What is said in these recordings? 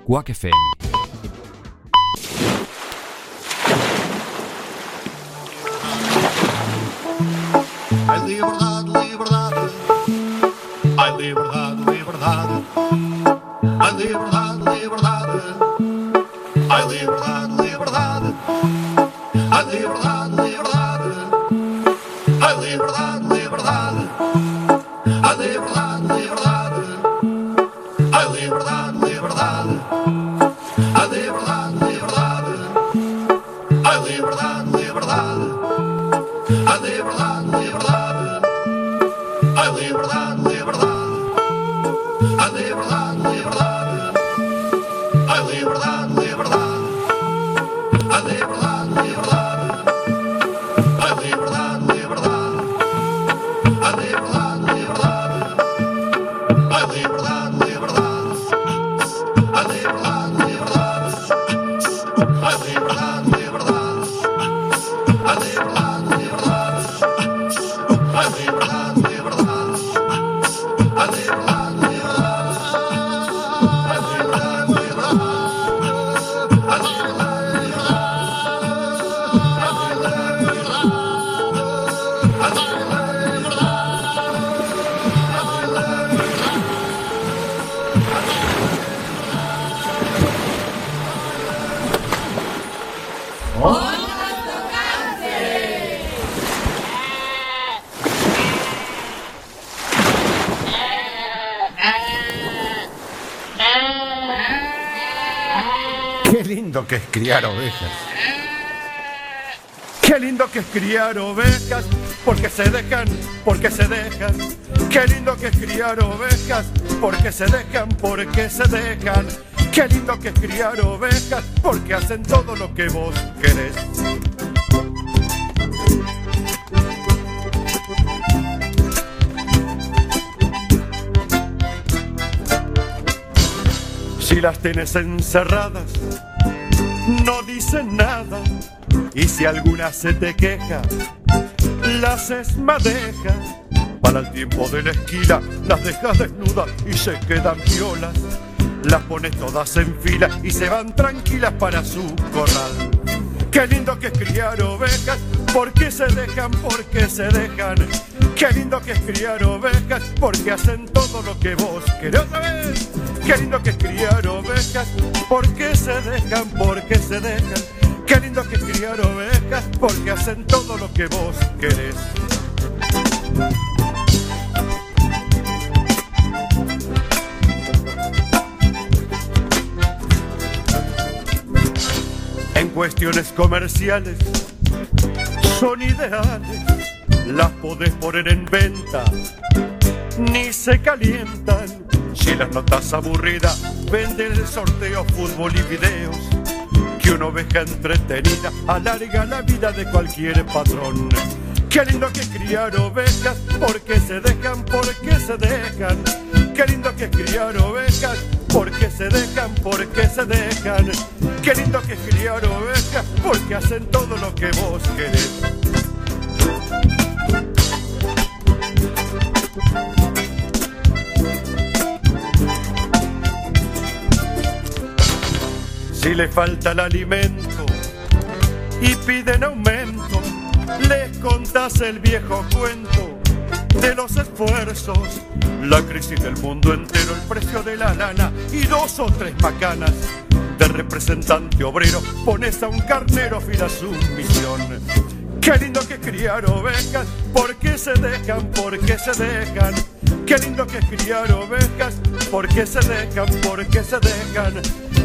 Quack FM. Ai liberdade, liberdade. Ai liberdade, liberdade. Ai liberdade, liberdade. Ai liberdade, liberdade. Ai liberdade, liberdade. Ai liberdade, liberdade. Ai liberdade, liberdade. Ai liberdade, liberdade. Ai liberdade, liberdade. Ai liberdade, liberdade. A liberdade, liberdade. A liberdade, liberdade. A liberdade, liberdade. A liberdade, liberdade. A liberdade, liberdade. A liberdade, liberdade. A liberdade, liberdade. A liberdade, liberdade. A liberdade, liberdade. A liberdade, liberdade. A liberdade, liberdade. A liberdade, liberdade. A liberdade, liberdade. A liberdade, Qué lindo que es criar ovejas. Qué lindo que es criar ovejas, porque se dejan, porque se dejan. Qué lindo que es criar ovejas, porque se dejan, porque se dejan. Qué lindo que es criar ovejas, porque hacen todo lo que vos querés. Si las tienes encerradas, no dicen nada. Y si alguna se te queja, las esmadejas. Para el tiempo de la esquila, las dejas desnudas y se quedan violas. Las pones todas en fila y se van tranquilas para su corral. Qué lindo que es criar ovejas, porque se dejan, porque se dejan. Qué lindo que es criar ovejas, porque hacen todo lo que vos querés. ¿Otra vez? Qué lindo que es criar ovejas, porque se dejan, porque se dejan. Qué lindo que es criar ovejas, porque hacen todo lo que vos querés. En cuestiones comerciales son ideales, las podés poner en venta, ni se calientan. Si las notas aburridas, vende el sorteo, fútbol y videos. Que una oveja entretenida alarga la vida de cualquier patrón. Qué lindo que es criar ovejas, porque se dejan, porque se dejan. Qué lindo que es criar ovejas, porque se dejan, porque se dejan. Qué lindo que es criar ovejas, porque hacen todo lo que vos querés. Si le falta el alimento y piden aumento, les contás el viejo cuento de los esfuerzos, la crisis del mundo entero, el precio de la lana y 2 o 3 macanas. De representante obrero pones a un carnero fiel a su misión. Qué lindo que es criar ovejas, porque se dejan, porque se dejan. Qué lindo que es criar ovejas, porque se dejan, porque se dejan.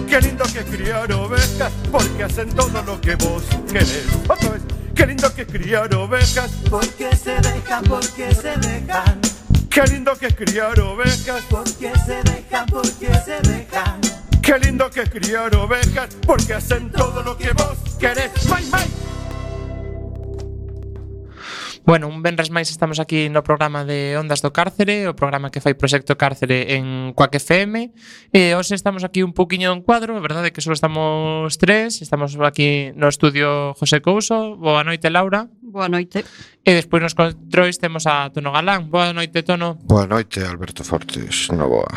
Qué lindo que es criar ovejas, porque hacen todo lo que vos querés. Otra vez. Qué lindo que es criar ovejas, porque se dejan, porque se dejan. Qué lindo que es criar ovejas, porque se dejan, porque se dejan. Qué lindo que es criar ovejas, porque hacen todo lo que vos querés. ¡Mai, mai! Bueno, un venres máis estamos aquí no programa de Ondas do Cárcere, o programa que fai Proxecto Cárcere en Quack FM. E hoxe estamos aquí un poquinho en cuadro, a verdade é que só estamos 3. Estamos aquí no estudio José Couso. Boa noite, Laura. Boa noite. E despois nos controis temos a Tono Galán. Boa noite, Tono. Boa noite, Alberto Fortes. Non boa.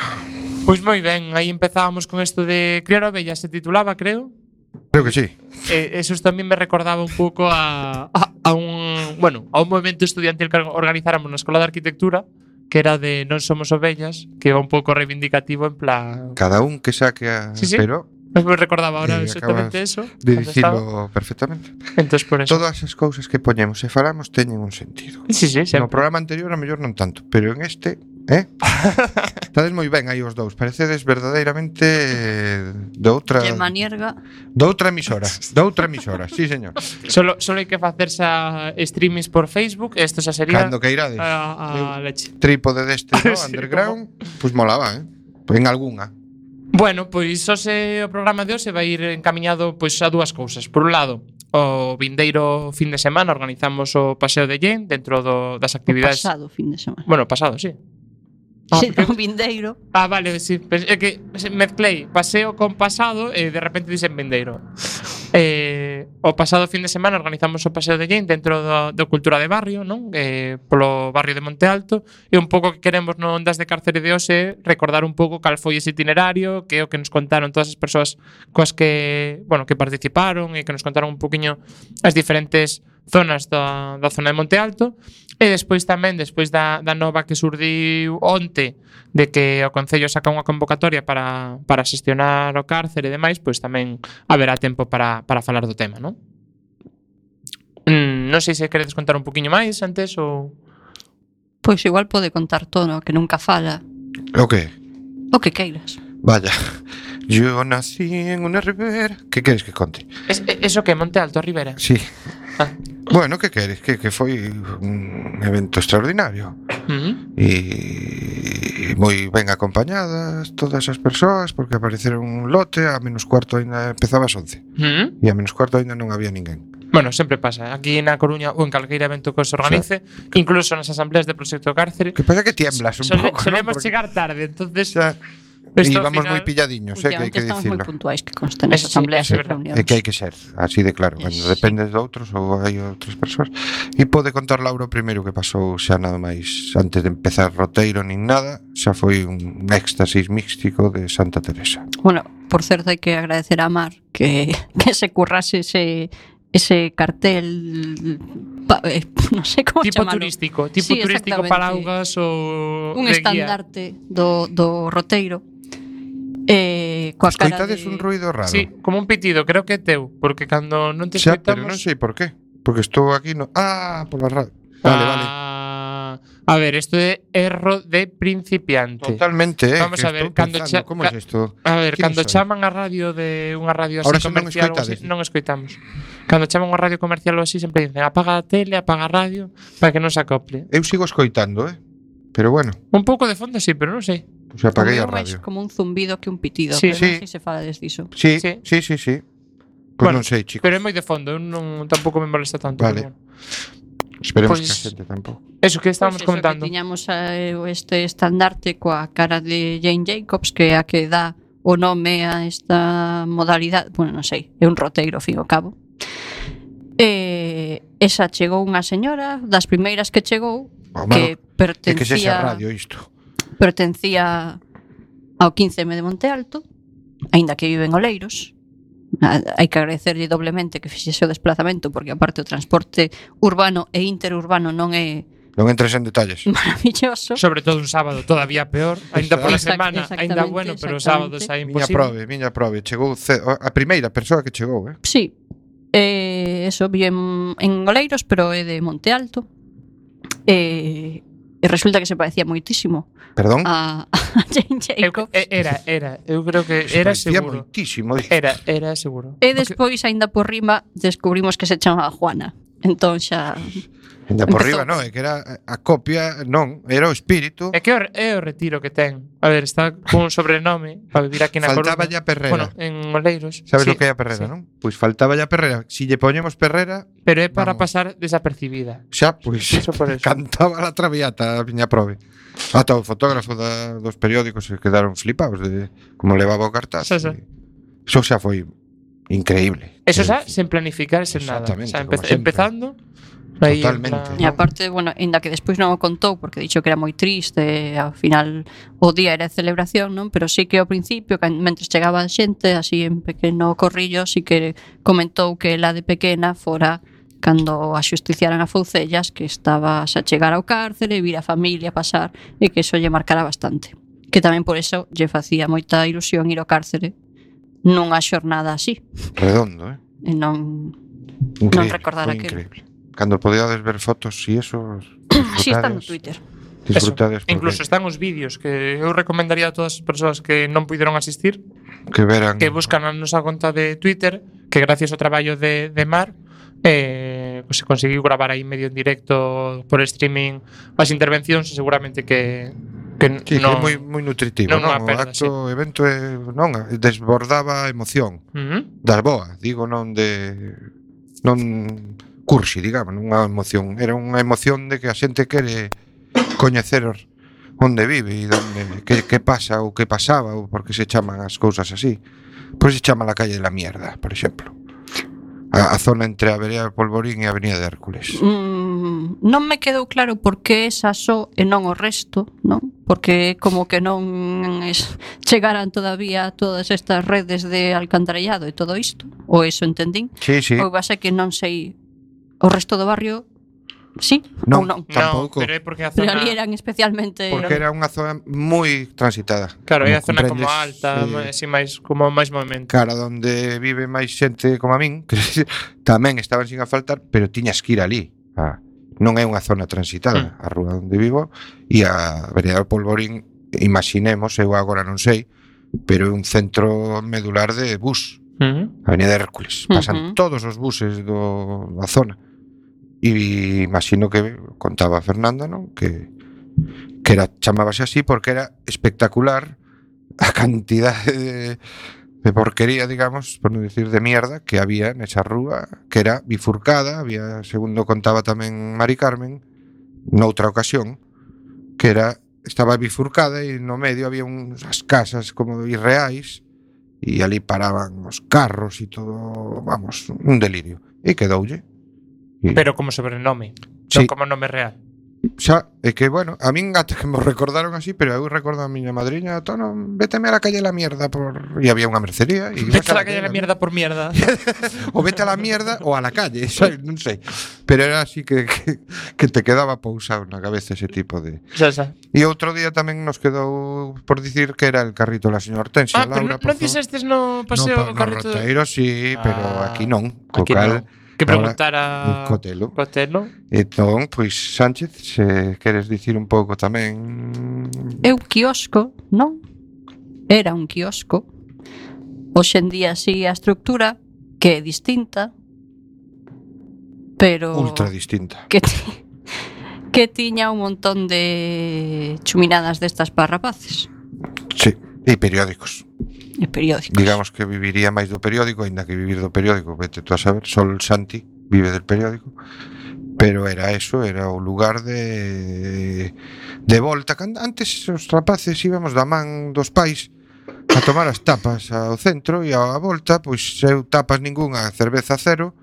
Pois moi ben, aí empezábamos con isto de criar ovellas, se titulaba, creo. Creo que sí. Eso tamén me recordaba un pouco a un movimento estudiantil que organizáramos na Escola de Arquitectura, que era de Non somos ovellas, que era un pouco reivindicativo en plan... Cada un que saque a... Sí. Pero Me recordaba ahora exactamente acabas eso. de cando estaba. dicilo perfectamente. Entonces por eso. Todas as cousas que poñemos e falamos teñen un sentido. Sí, sempre. No programa anterior a mellor non tanto, pero en este, estades moi ben aí os dous. Parecedes verdadeiramente de outra De manierga. emisora, sí, señor. Solo hai que facerse a streamings por Facebook, isto xa sería Cando que irades. a leche. Trípode deste, no, Sí, underground, pois molaba, En algunha. Bueno, pois o programa de hoxe vai ir encamiñado pois a dúas cousas. Por un lado, o vindeiro fin de semana organizamos o Paseo de Yen dentro das actividades. Pasado fin de semana. Bueno, pasado, sí. Sí, porque- un vindeiro. Vale, sí. É que mezclei paseo con pasado e de repente dicen vindeiro. O pasado fin de semana organizamos o Paseo de Yen dentro do Cultura de Barrio, non? Polo barrio de Monte Alto, e un pouco que queremos no Ondas de Cárcere de hoxe recordar un pouco cal foi ese itinerario, que é o que nos contaron todas as persoas coas que participaron e que nos contaron un poquiño as diferentes zonas da zona de Monte Alto. E despois tamén, despois da nova que surdiu onte de que o Concello saca unha convocatoria para xestionar o cárcere e demais, pois tamén haberá tempo para falar do tema, non? Non sei se queredes contar un poquinho máis antes ou... Pois igual pode contar todo, que nunca fala. O que? O que queiras. Vaya. Yo nací en una ribera. Que queres que conte? Eso que Monte Alto, a Ribera? Sí. Ah. Bueno, que queres? Que foi un evento extraordinario. E moi ben acompañadas todas as persoas, porque apareceron un lote, a menos cuarto ainda empezaba ás 11. E a menos cuarto ainda non había ninguén. Bueno, sempre pasa. Aquí na Coruña ou en calqueira evento que se organice, incluso nas asambleas de Proxecto Cárcere, Que pasa que tiemblas un pouco, solemos ¿no? Porque chegar tarde, entonces... xa Esto íbamos ao final- moi pilladiños, que hai Últimamente que estamos moi dicirlo. puntuais que consten nas Eso sí, asambleas eso é e verdad. reunións. É que hai que ser, así de claro, cando Sí. dependes de outros ou hai outras persoas. E pode contar Laura o primeiro que pasou xa nada máis antes de empezar roteiro nin nada, xa foi un éxtasis místico de Santa Teresa. Bueno, por certo hai que agradecer a Mar que se currase ese cartel non sei como Tipo chamalo. turístico, Sí, turístico exactamente. para augas ou Un de guía. estandarte do roteiro. Coa cara Escoitades de... un ruido raro. Sí, como un pitido, creo que é teu, porque cando non te Xa, pero escoitamos... non sei por qué. Porque estou aquí no... pola radio. Vale. A ver, isto é erro de principiante. Totalmente, Vamos que a ver, estou cando pensando, como é isto? A ver, ¿Quién cando soy? chaman a radio de unha radio así Ahora xa non comercial ou así, escoitades. non escoitamos. Cando chaman unha radio comercial ou así sempre dicen apaga a tele, apaga a radio para que non se acople. Eu sigo escoitando, pero bueno, Un pouco de fondo sí, pero non sei. pues apaguei a O meu máis radio. como un zumbido que un pitido, Sí. pero Sí. non sei se fala diso. Sí. Sí. Pues Bueno, non sei, chicos. Pero é moi de fondo, eu non tampouco me molesta tanto. Vale. pero bueno. Esperemos Pois- que a xente tampouco. Eso que estábamos Pois eso, comentando. Que tiñamos este estandarte coa cara de Jane Jacobs, que é a que dá o nome a esta modalidade, bueno, non sei, é un roteiro, ao fin e ao cabo. Esa chegou unha señora, das primeiras que chegou, Oh, que malo, é que sexa pertencía radio isto. ao 15M de Monte Alto, aínda que vive en Oleiros. Hai que agradecerlle doblemente que fixese o desplazamento, porque aparte o transporte urbano e interurbano non é Non entres en detalles. maravilloso. Sobre todo un sábado todavía peor, aínda pola semana, aínda Exactamente, bueno, pero os exactamente. sábados é Miña imposible. prove. Chegou a primeira persoa que chegou, Sí, eso vive en Oleiros, pero é de Monte Alto. E resulta que se parecía moitísimo Perdón. a Jane Jacobs. Eu creo que era Parecía seguro. moitísimo. Era seguro. E despois, aínda por rima, descubrimos que se chamaba Juana. Entón xa... Ainda por empezou. riba, non, é que era a copia, non, era o espírito. É que é o retiro que ten. A ver, está con un sobrenome para vivir aquí na Faltaba Coruña. ya Perrera. Bueno, en Oleiros. Sabes Sí, o que é a Perrera, sí. non? Pois faltaba ya Perrera. Si lle poñemos Perrera, Pero é para Vamos. pasar desapercibida. xa, pois, Eso por eso. cantaba la traviata a miña prove. Ata o fotógrafo dos periódicos se quedaron flipados de como levaba o cartaz. Xa, xa. Eso xa foi increíble. Eso xa sen planificar, sen nada. Exactamente, O sea, como sempre. empezando, Aí, en Totalmente. plan- E aparte, bueno, ainda que despois non o contou porque dixo que era moi triste, ao final o día era de celebración, non? Pero sí que ao principio, mentres chegaba a xente, así en pequeno corrillo, sí que comentou que ela de pequena fora cando a xusticiaran a Foucellas, que estaba a chegar ao cárcere, vir a familia pasar, e que iso lle marcara bastante. Que tamén por eso lle facía moita ilusión ir ao cárcere nunha xornada así, Redondo, e non Increíble, recordar foi aquilo. increíble. Cando podíades ver fotos e eso, así está no Twitter. disfrutades porque Incluso están os vídeos que eu recomendaría a todas as persoas que non puideron asistir que veran que buscan a nosa conta de Twitter, que gracias ao traballo de Mar pues se conseguiu gravar aí medio en directo por streaming as intervencións e seguramente que Sí, non, que é moi nutritivo, non non? unha O perda, acto, o evento non, desbordaba a emoción das boas, digo, non cursi, digamos, non unha emoción, era unha emoción de que a xente quere coñecer onde vive e que pasa ou que pasaba ou por que se chaman as cousas así. Pois se chama la calle de la mierda, por exemplo. A zona entre a Vereda de Polvorín e a Avenida de Hércules. Non me quedou claro por que esa só e non o resto, non? Porque como que non chegaran todavía todas estas redes de alcantarillado e todo isto, ou eso entendín. Sí, sí. Ou va ser que non sei o resto do barrio, sí ou non. Tampouco. pero é porque a Pero zona ali eran especialmente Porque era unha zona moi transitada. claro, é a zona como comprendes, alta, así máis como máis movimento. cara, donde vive máis xente como a min, que tamén estaban sin asfaltar, pero tiñas que ir ali. Non é unha zona transitada, a rúa onde vivo e a Avenida do Polvorín, imaginemos, eu agora non sei, pero é un centro medular de bus, a Avenida de Hércules. Pasan todos os buses da zona. E imagino que contaba Fernanda, non? Que era chamábase así porque era espectacular a cantidade de porquería, digamos, por non dicir de mierda, que había nesa rúa, que era bifurcada, había, segundo contaba tamén Mari Carmen, noutra ocasión, que estaba bifurcada e no medio había unhas casas como irreais e ali paraban os carros e todo, vamos, un delirio. E quedoulle. Pero como sobrenome, Sí. non como nome real. Xa, é que, bueno, a min ata que me recordaron así, pero eu recordo a miña madriña, Tono, véteme a la calle la mierda por... E había unha mercería e Vete a la calle la mierda por mierda. O vete a la mierda ou a la calle, ¿sabes? Non sei. Pero era así que te quedaba pousado na cabeza ese tipo de... Xa. E outro día tamén nos quedou por dicir que era el carrito da señora Hortensia, Pero Laura. non dixestes no paseo no, correcto. no Roteiro sí, pero aquí non. Co Aquí cal, non. Que preguntar a Cotelo. Cotelo. Entón, pois, Sánchez, se queres dicir un pouco tamén... É un quiosco, non? Era un quiosco. Hoxe en día sí a estructura, que é distinta, pero... Ultra distinta. que tiña un montón de chuminadas destas para rapaces. Sí, e periódicos. E periódicos. Digamos que viviría máis do periódico, aínda que vivir do periódico, vete tú a saber, Sol Santi vive del periódico. Pero era eso, era o lugar de volta. Antes os rapaces íbamos da man dos pais a tomar as tapas ao centro e a volta, pois eu tapas ningunha, cerveza cero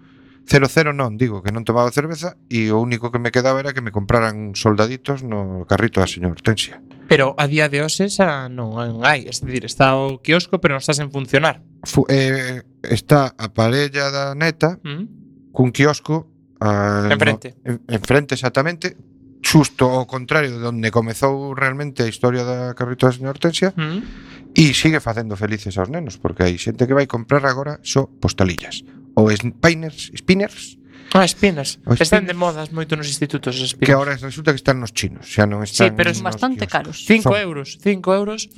non, digo que non tomaba cerveza e o único que me quedaba era que me compraran soldaditos no carrito da señora Hortensia. Pero a día de hoxe xa non hai, es decir, está o quiosco pero non está sen funcionar. Está a parella da neta cun quiosco enfrente. Enfrente exactamente, xusto ao contrario de onde comezou realmente a historia da carrito da señora Hortensia. E sigue facendo felices aos nenos, porque hai xente que vai comprar agora só postalillas ou spinners, Spinners. Os Están spinners. de modas moito nos institutos os que spinners. ahora resulta que están nos chinos, xa non están. Sí, pero Son son bastante nos caros. 5 Son. euros.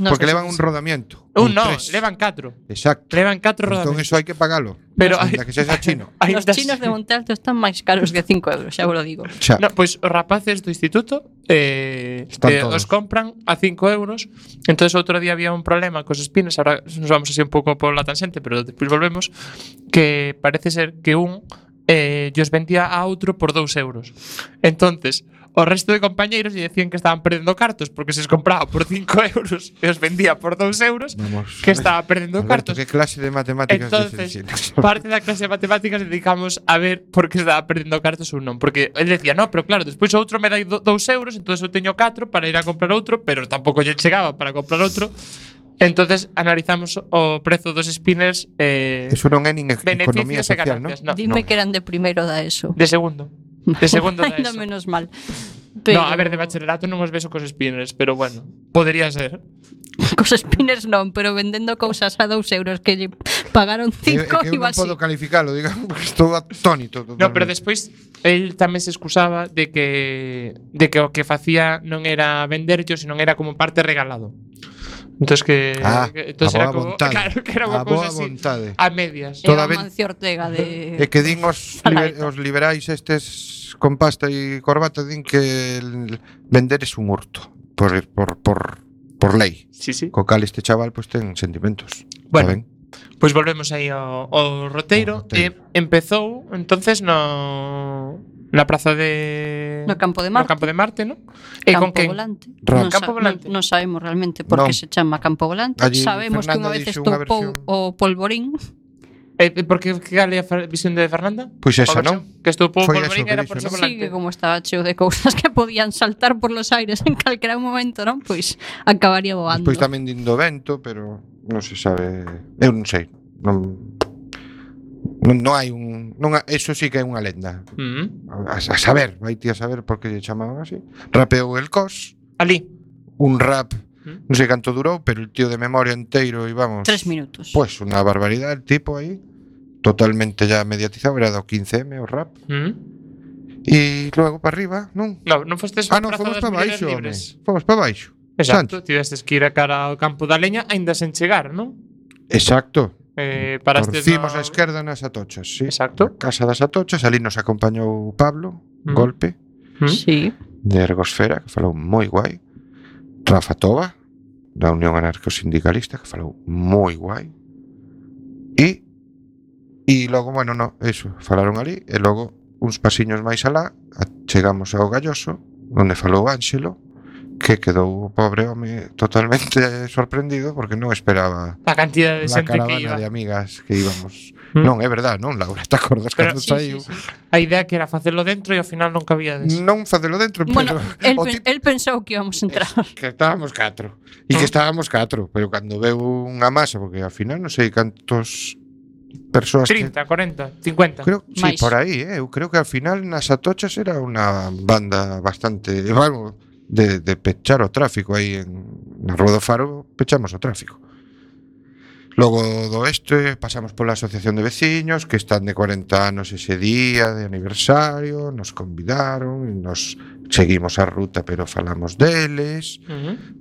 Nos porque levan un rodamiento. Un No, tres. levan 4. Exacto. Levan 4 Entón rodamentos. eso hai que pagalo. Pero Ainda que sexa chino. Os chinos de Monte Alto están máis caros que 5 euros, xa vos lo digo. Xa. No, pois os rapaces do instituto Están todos. os compran a 5 euros. Entonces outro día había un problema cos spinners. Ahora nos vamos así un pouco por la tangente, pero despois volvemos. Que parece ser que un os vendía a outro por 2 euros. Entonces o resto de compañeiros lle decían que estaban perdendo cartos porque se os compraba por 5 euros e os vendía por 2 euros, Vamos, que estaba perdendo Alberto, cartos. que clase de matemáticas Entonces, parte da clase de matemáticas dedicamos a ver por que estaba perdendo cartos ou non. Porque el decía, no, pero claro, despois o outro me dai 2 euros, entonces eu teño 4 para ir a comprar outro, pero tampouco lle chegaba para comprar outro. Entonces analizamos o prezo dos spinners, Eso non é nin economía beneficios e social, non? ganancias. No, Dime que eran de primeiro da ESO. de segundo. De segundo da Ainda ESO. menos mal. No, a ver, de bacharelato non os beso cos spinners, pero bueno, podría ser. Cos spinners non, pero vendendo cousas a 2 euros que lle pagaron 5, que eu non igual sí. podo calificalo, digamos, porque estou atónito. No, pero despois el tamén se excusaba de que o que facía non era venderllo, senón era como parte regalado. Entonces entonces a era boa como, vontade. claro, que era A unha cousa boa así vontade. a medias. Toda Era ben- Mancio Ortega de... É que din Salaeta. os liberais estes con pasta e corbata din que vender es un hurto por lei. Sí, sí. Co cal este chaval pues ten sentimentos. Bueno, Está ben? Pois volvemos aí ao roteiro. Ao roteiro. E empezou entonces na praza de No campo de Marte. No campo de Marte, ¿no? E Campo con quen? Volante. Ra- Campo Volante. Non sabemos realmente por que Non. se chama Campo Volante. Allí Sabemos que Fernanda unha vez dixo unha estopou versión. o polvorín. Porque cal é a visión de Fernanda? Pois esa, A versión non? Que estou por Foi Polvorín eso que era dixo, por ese non? Sí, volante. que como estaba cheo de cousas que podían saltar por los aires en calquera momento, non? Pois acabaría voando. Despois tamén din do vento, pero non se sabe. Eu non sei. Non hai un eso sí que é unha lenda. A saber, vai ti a saber por que lle chamaban así. Rapeou el cos, Ali. un rap, non sei canto durou, pero el tío de memoria enteiro e vamos. 3 minutos. Pues unha barbaridade el tipo aí, totalmente ya mediatizado, era do 15M o rap. E logo para arriba, non? No, non fostes Non, fomos para baixo, home. Fomos para baixo. Exacto, tivestes que ir a cara ao campo da leña aínda sen chegar, non? Exacto. Parastes Torcimos no... a esquerda nas Atochas, sí. Exacto. A casa das Atochas, ali nos acompañou Pablo, Golpe, Sí. de Ergosfera, que falou moi guai. Rafa Toba, da Unión Anarcosindicalista, que falou moi guai. E logo, bueno, no, eso, falaron ali, e logo uns pasiños máis alá, chegamos ao Galloso, onde falou Ánxelo, que quedou o pobre home totalmente sorprendido porque non esperaba A cantidad de a xente que caravana iba. de amigas que íbamos. Non, é verdad, non, Laura, te acordas Pero- cando sí, saiu? A idea que era facelo dentro e ao final non cabíades. Non facelo dentro, Bueno, pero o tipo- él pensou que íbamos a entrar. que estábamos 4. E que estábamos 4, pero cando veu unha masa, porque ao final non sei cantos persoas 30, 40, 50. Creo, sí, Máis. por aí, eu creo que ao final nas Atochas era unha banda bastante, vamos, de pechar o tráfico aí na Rúa do Faro, pechamos o tráfico. Logo do este pasamos pola Asociación de Veciños, que están de 40 anos ese día de aniversario, nos convidaron e nos seguimos a ruta, pero falamos deles,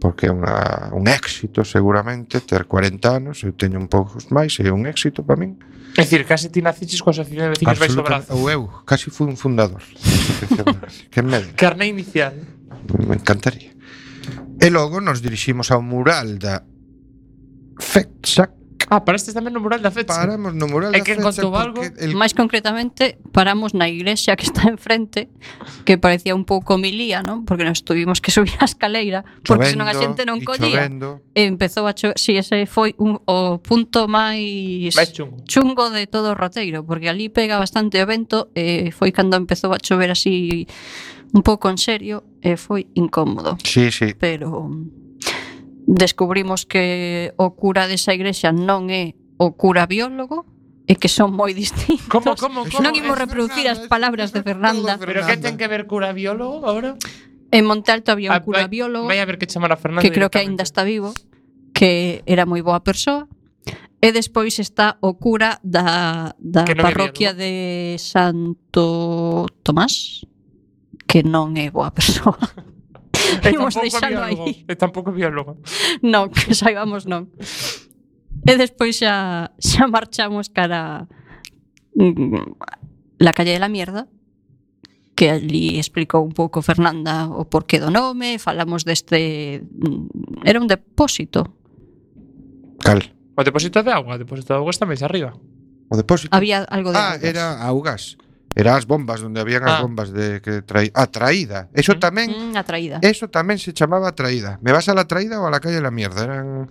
porque é un éxito seguramente ter 40 anos, eu teño un poucos máis, é un éxito para min. É dicir, case ti naciches coa asociación de veciños baixo o brazo. Ou eu, casi fui un fundador. Que medo. Carné inicial. Me encantaría. E logo nos diriximos ao mural da FETSAC. Parastes tamén no mural da fecha. Paramos no mural E da quen FETSAC contou algo? porque Máis concretamente, paramos na iglesia que está enfrente, que parecía un pouco milía, non? Porque nos tuvimos que subir a escaleira, porque senón a xente non collía. E empezou a chover. Si, ese foi o punto máis Máis chungo. chungo de todo o roteiro, porque ali pega bastante o vento e foi cando empezou a chover así un pouco en serio e foi incómodo. Sí, sí. Pero descubrimos que o cura desa igrexa non é o cura biólogo e que son moi distintos. Como? Non imos reproducir as palabras de Fernanda. Pero que ten que ver cura biólogo agora? En Monte Alto había un cura biólogo Vai a ver que chamar a Fernanda que creo que aínda está vivo, que era moi boa persoa. E despois está o cura da Que non é parroquia de Santo Tomás, que non é boa persoa. Imos deixalo aí. E tampouco biólogo. Non, que saibamos non. E despois xa marchamos cara la calle de la mierda, que ali explicou un pouco Fernanda o porqué do nome, falamos deste... Era un depósito. Cal? O depósito de agua está máis arriba. O depósito. Había algo de augas. Era augas. Era as bombas, donde habían as bombas de que traída. Eso tamén Atraída. Eso tamén se chamaba traída. ¿Me vas a la traída o a la calle la mierda? Eran,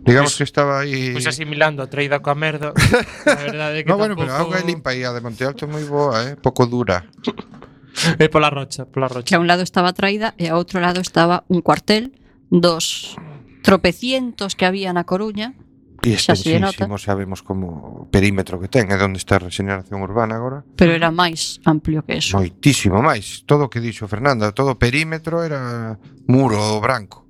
digamos que estaba aí. Pois asimilando a traída coa merda. A verdade é que No, bueno, pero a tampouco- auga é limpa aí, a de Monte Alto é moi boa, pouco dura. É pola rocha, pola rocha. Que a un lado estaba Atraída e a outro lado estaba un cuartel dos tropecientos que había na Coruña. E Xa se nota. extensísimo, sabemos como perímetro que ten, é onde está a regeneración urbana agora. Pero era máis amplio que eso. Moitísimo máis. Todo o que dixo Fernanda, todo o perímetro era muro branco.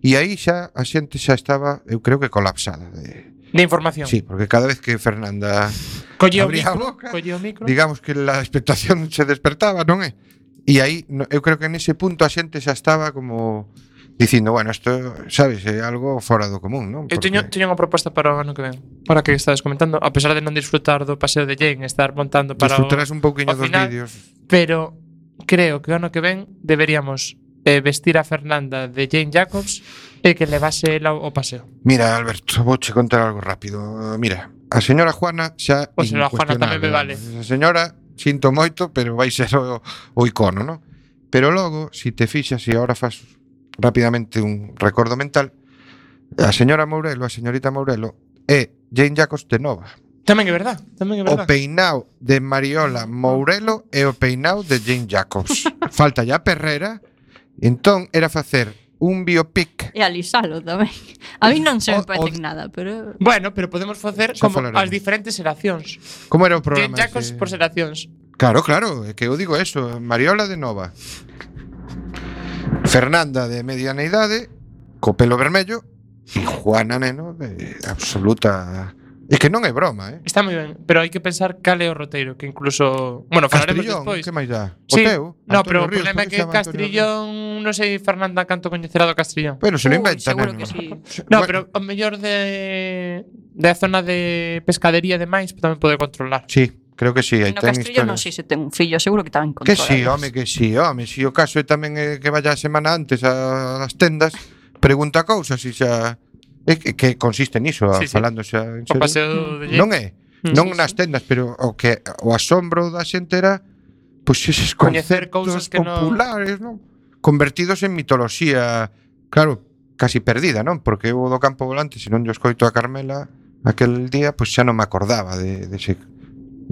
E aí xa a xente xa estaba, eu creo que colapsada de información. Sí, porque cada vez que Fernanda Collía o abría a micro, boca, collía o micro. digamos que a expectación se despertaba, non é? E aí, eu creo que nese punto a xente xa estaba como dicindo, bueno, isto, sabes, é algo fora do común, non? Eu teño unha proposta para o ano que ven. Para que estades comentando, a pesar de non disfrutar do paseo de Jane, estar montando para disfrutarás un pouquiño ao dos final, vídeos. pero creo que o ano que ven deberíamos vestir a Fernanda de Jane Jacobs e que levase ela ao paseo. Mira, Alberto, vouche contar algo rápido. Mira, a señora Juana xa O señora Juana tamén me vale. A señora, sinto moito, pero vai ser o icono, non? Pero logo, si te fixas, e agora faz rapidamente un recordo mental, a señora Mourelo, a señorita Mourelo, é Jane Jacobs de nova. Tamén é verdad, tamén é O verdad. peinao de Mariola Mourelo e o peinao de Jane Jacobs. Falta ya Perrera. Entón, era facer un biopic. E alisalo tamén. A mí non se me O- parece nada, pero... Bueno, pero podemos facer Xa como falaremos. as diferentes xeracións. Como era o Jane programa? Jacobs ese? por xeracións. Claro, claro, é que eu digo eso. Mariola de nova. Fernanda de mediana idade, co pelo vermello, e Juana Neno de absoluta... E que non é broma, Está moi ben, pero hai que pensar cal é o roteiro, que incluso, bueno, falaremos Castrillón, despois. que máis dá? O Sí, teu? no, Antonio pero o Ríos, problema é por que se chama Antonio Castrillón, non sei Fernanda canto coñecerá do Castrillón. Ríos? Bueno, se lo inventa, seguro neno. que sí. No, Bueno, pero o mellor de a zona de pescadería e demais tamén pode controlar. Sí, creo que sí, aí No ten Castillo non historias. sei se ten un fillo, seguro que tamén Que controla. sí, home, que sí, home. Si o caso é tamén que vaya a semana antes ás tendas, pregunta cousas e xa... É que consiste niso, Sí, sí. falando xa en O serio. paseo de Jane. Non é? Non sí, nas tendas, pero o asombro da xente era pois eses Coñecer cousas conceptos que non- populares, non? Convertidos en mitoloxía, claro, casi perdida, non? Porque eu do Campo Volante, se non yo escoito a Carmela aquel día, pois xa non me acordaba de ese.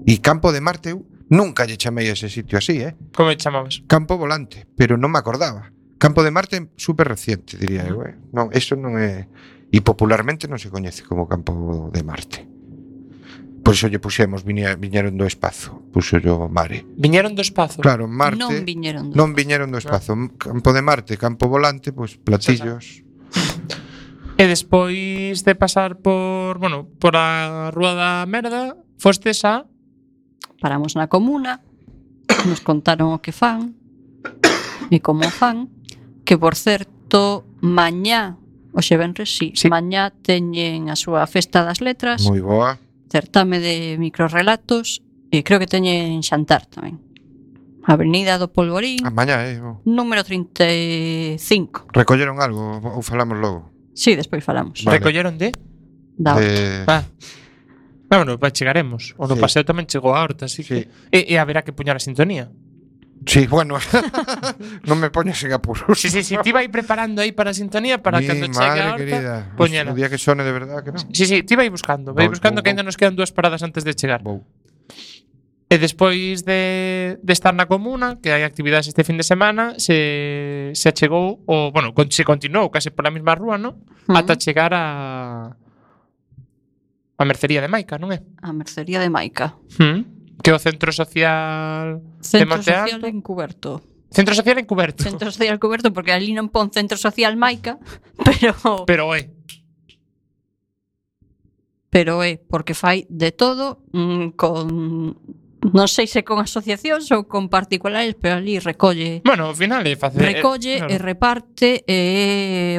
E Campo de Marte eu nunca lle chamei a ese sitio así, Como lle chamabas? Campo Volante, pero non me acordaba. Campo de Marte super reciente, diría eu, Non, eso non é... E popularmente non se coñece como Campo de Marte. Por iso lle puxemos, viñeron do espazo. Puxo yo Mare. Viñeron do espazo. Claro, Marte... Non viñeron. Non viñeron do espazo. Campo de Marte, Campo Volante, pois platillos. E despois de pasar por, bueno, por a Rúa da Merda, fostes a Paramos na comuna, nos contaron o que fan e como fan, que por certo, mañá, hoxe venres, sí, mañá teñen a súa festa das letras, Moi boa. certame de microrrelatos e creo que teñen xantar tamén. Avenida do Polvorín, Mañá, número 35. Recolleron algo ou falamos logo? Sí, despois falamos. Vale. Recolleron de? Da horta. Ah. Bueno, chegaremos. O no Sí. paseo tamén chegou a horta, así Sí. que... E haberá que puñar a sintonía. Sí, bueno. Non me poñes en apuros. Sí, ti vai preparando aí para a sintonía para Mi cando chegue madre a horta, querida. poñela. O día que sone de verdad que non. Sí, ti vai buscando Vou, que ainda nos quedan 2 paradas antes de chegar. Vou. E despois de estar na comuna, que hai actividades este fin de semana, se achegou, ou, bueno, se continuou case pola mesma rúa, non? Ata chegar a mercería de Maica, non é? A mercería de Maica. Que é o centro social de Centro Monte social Alto. encuberto. Centro social encuberto. Centro social encuberto porque ali non pon centro social Maica, Pero é. pero é porque fai de todo con non sei se con asociacións ou con particulares, pero ali recolle Bueno, ao final é facer... recolle e reparte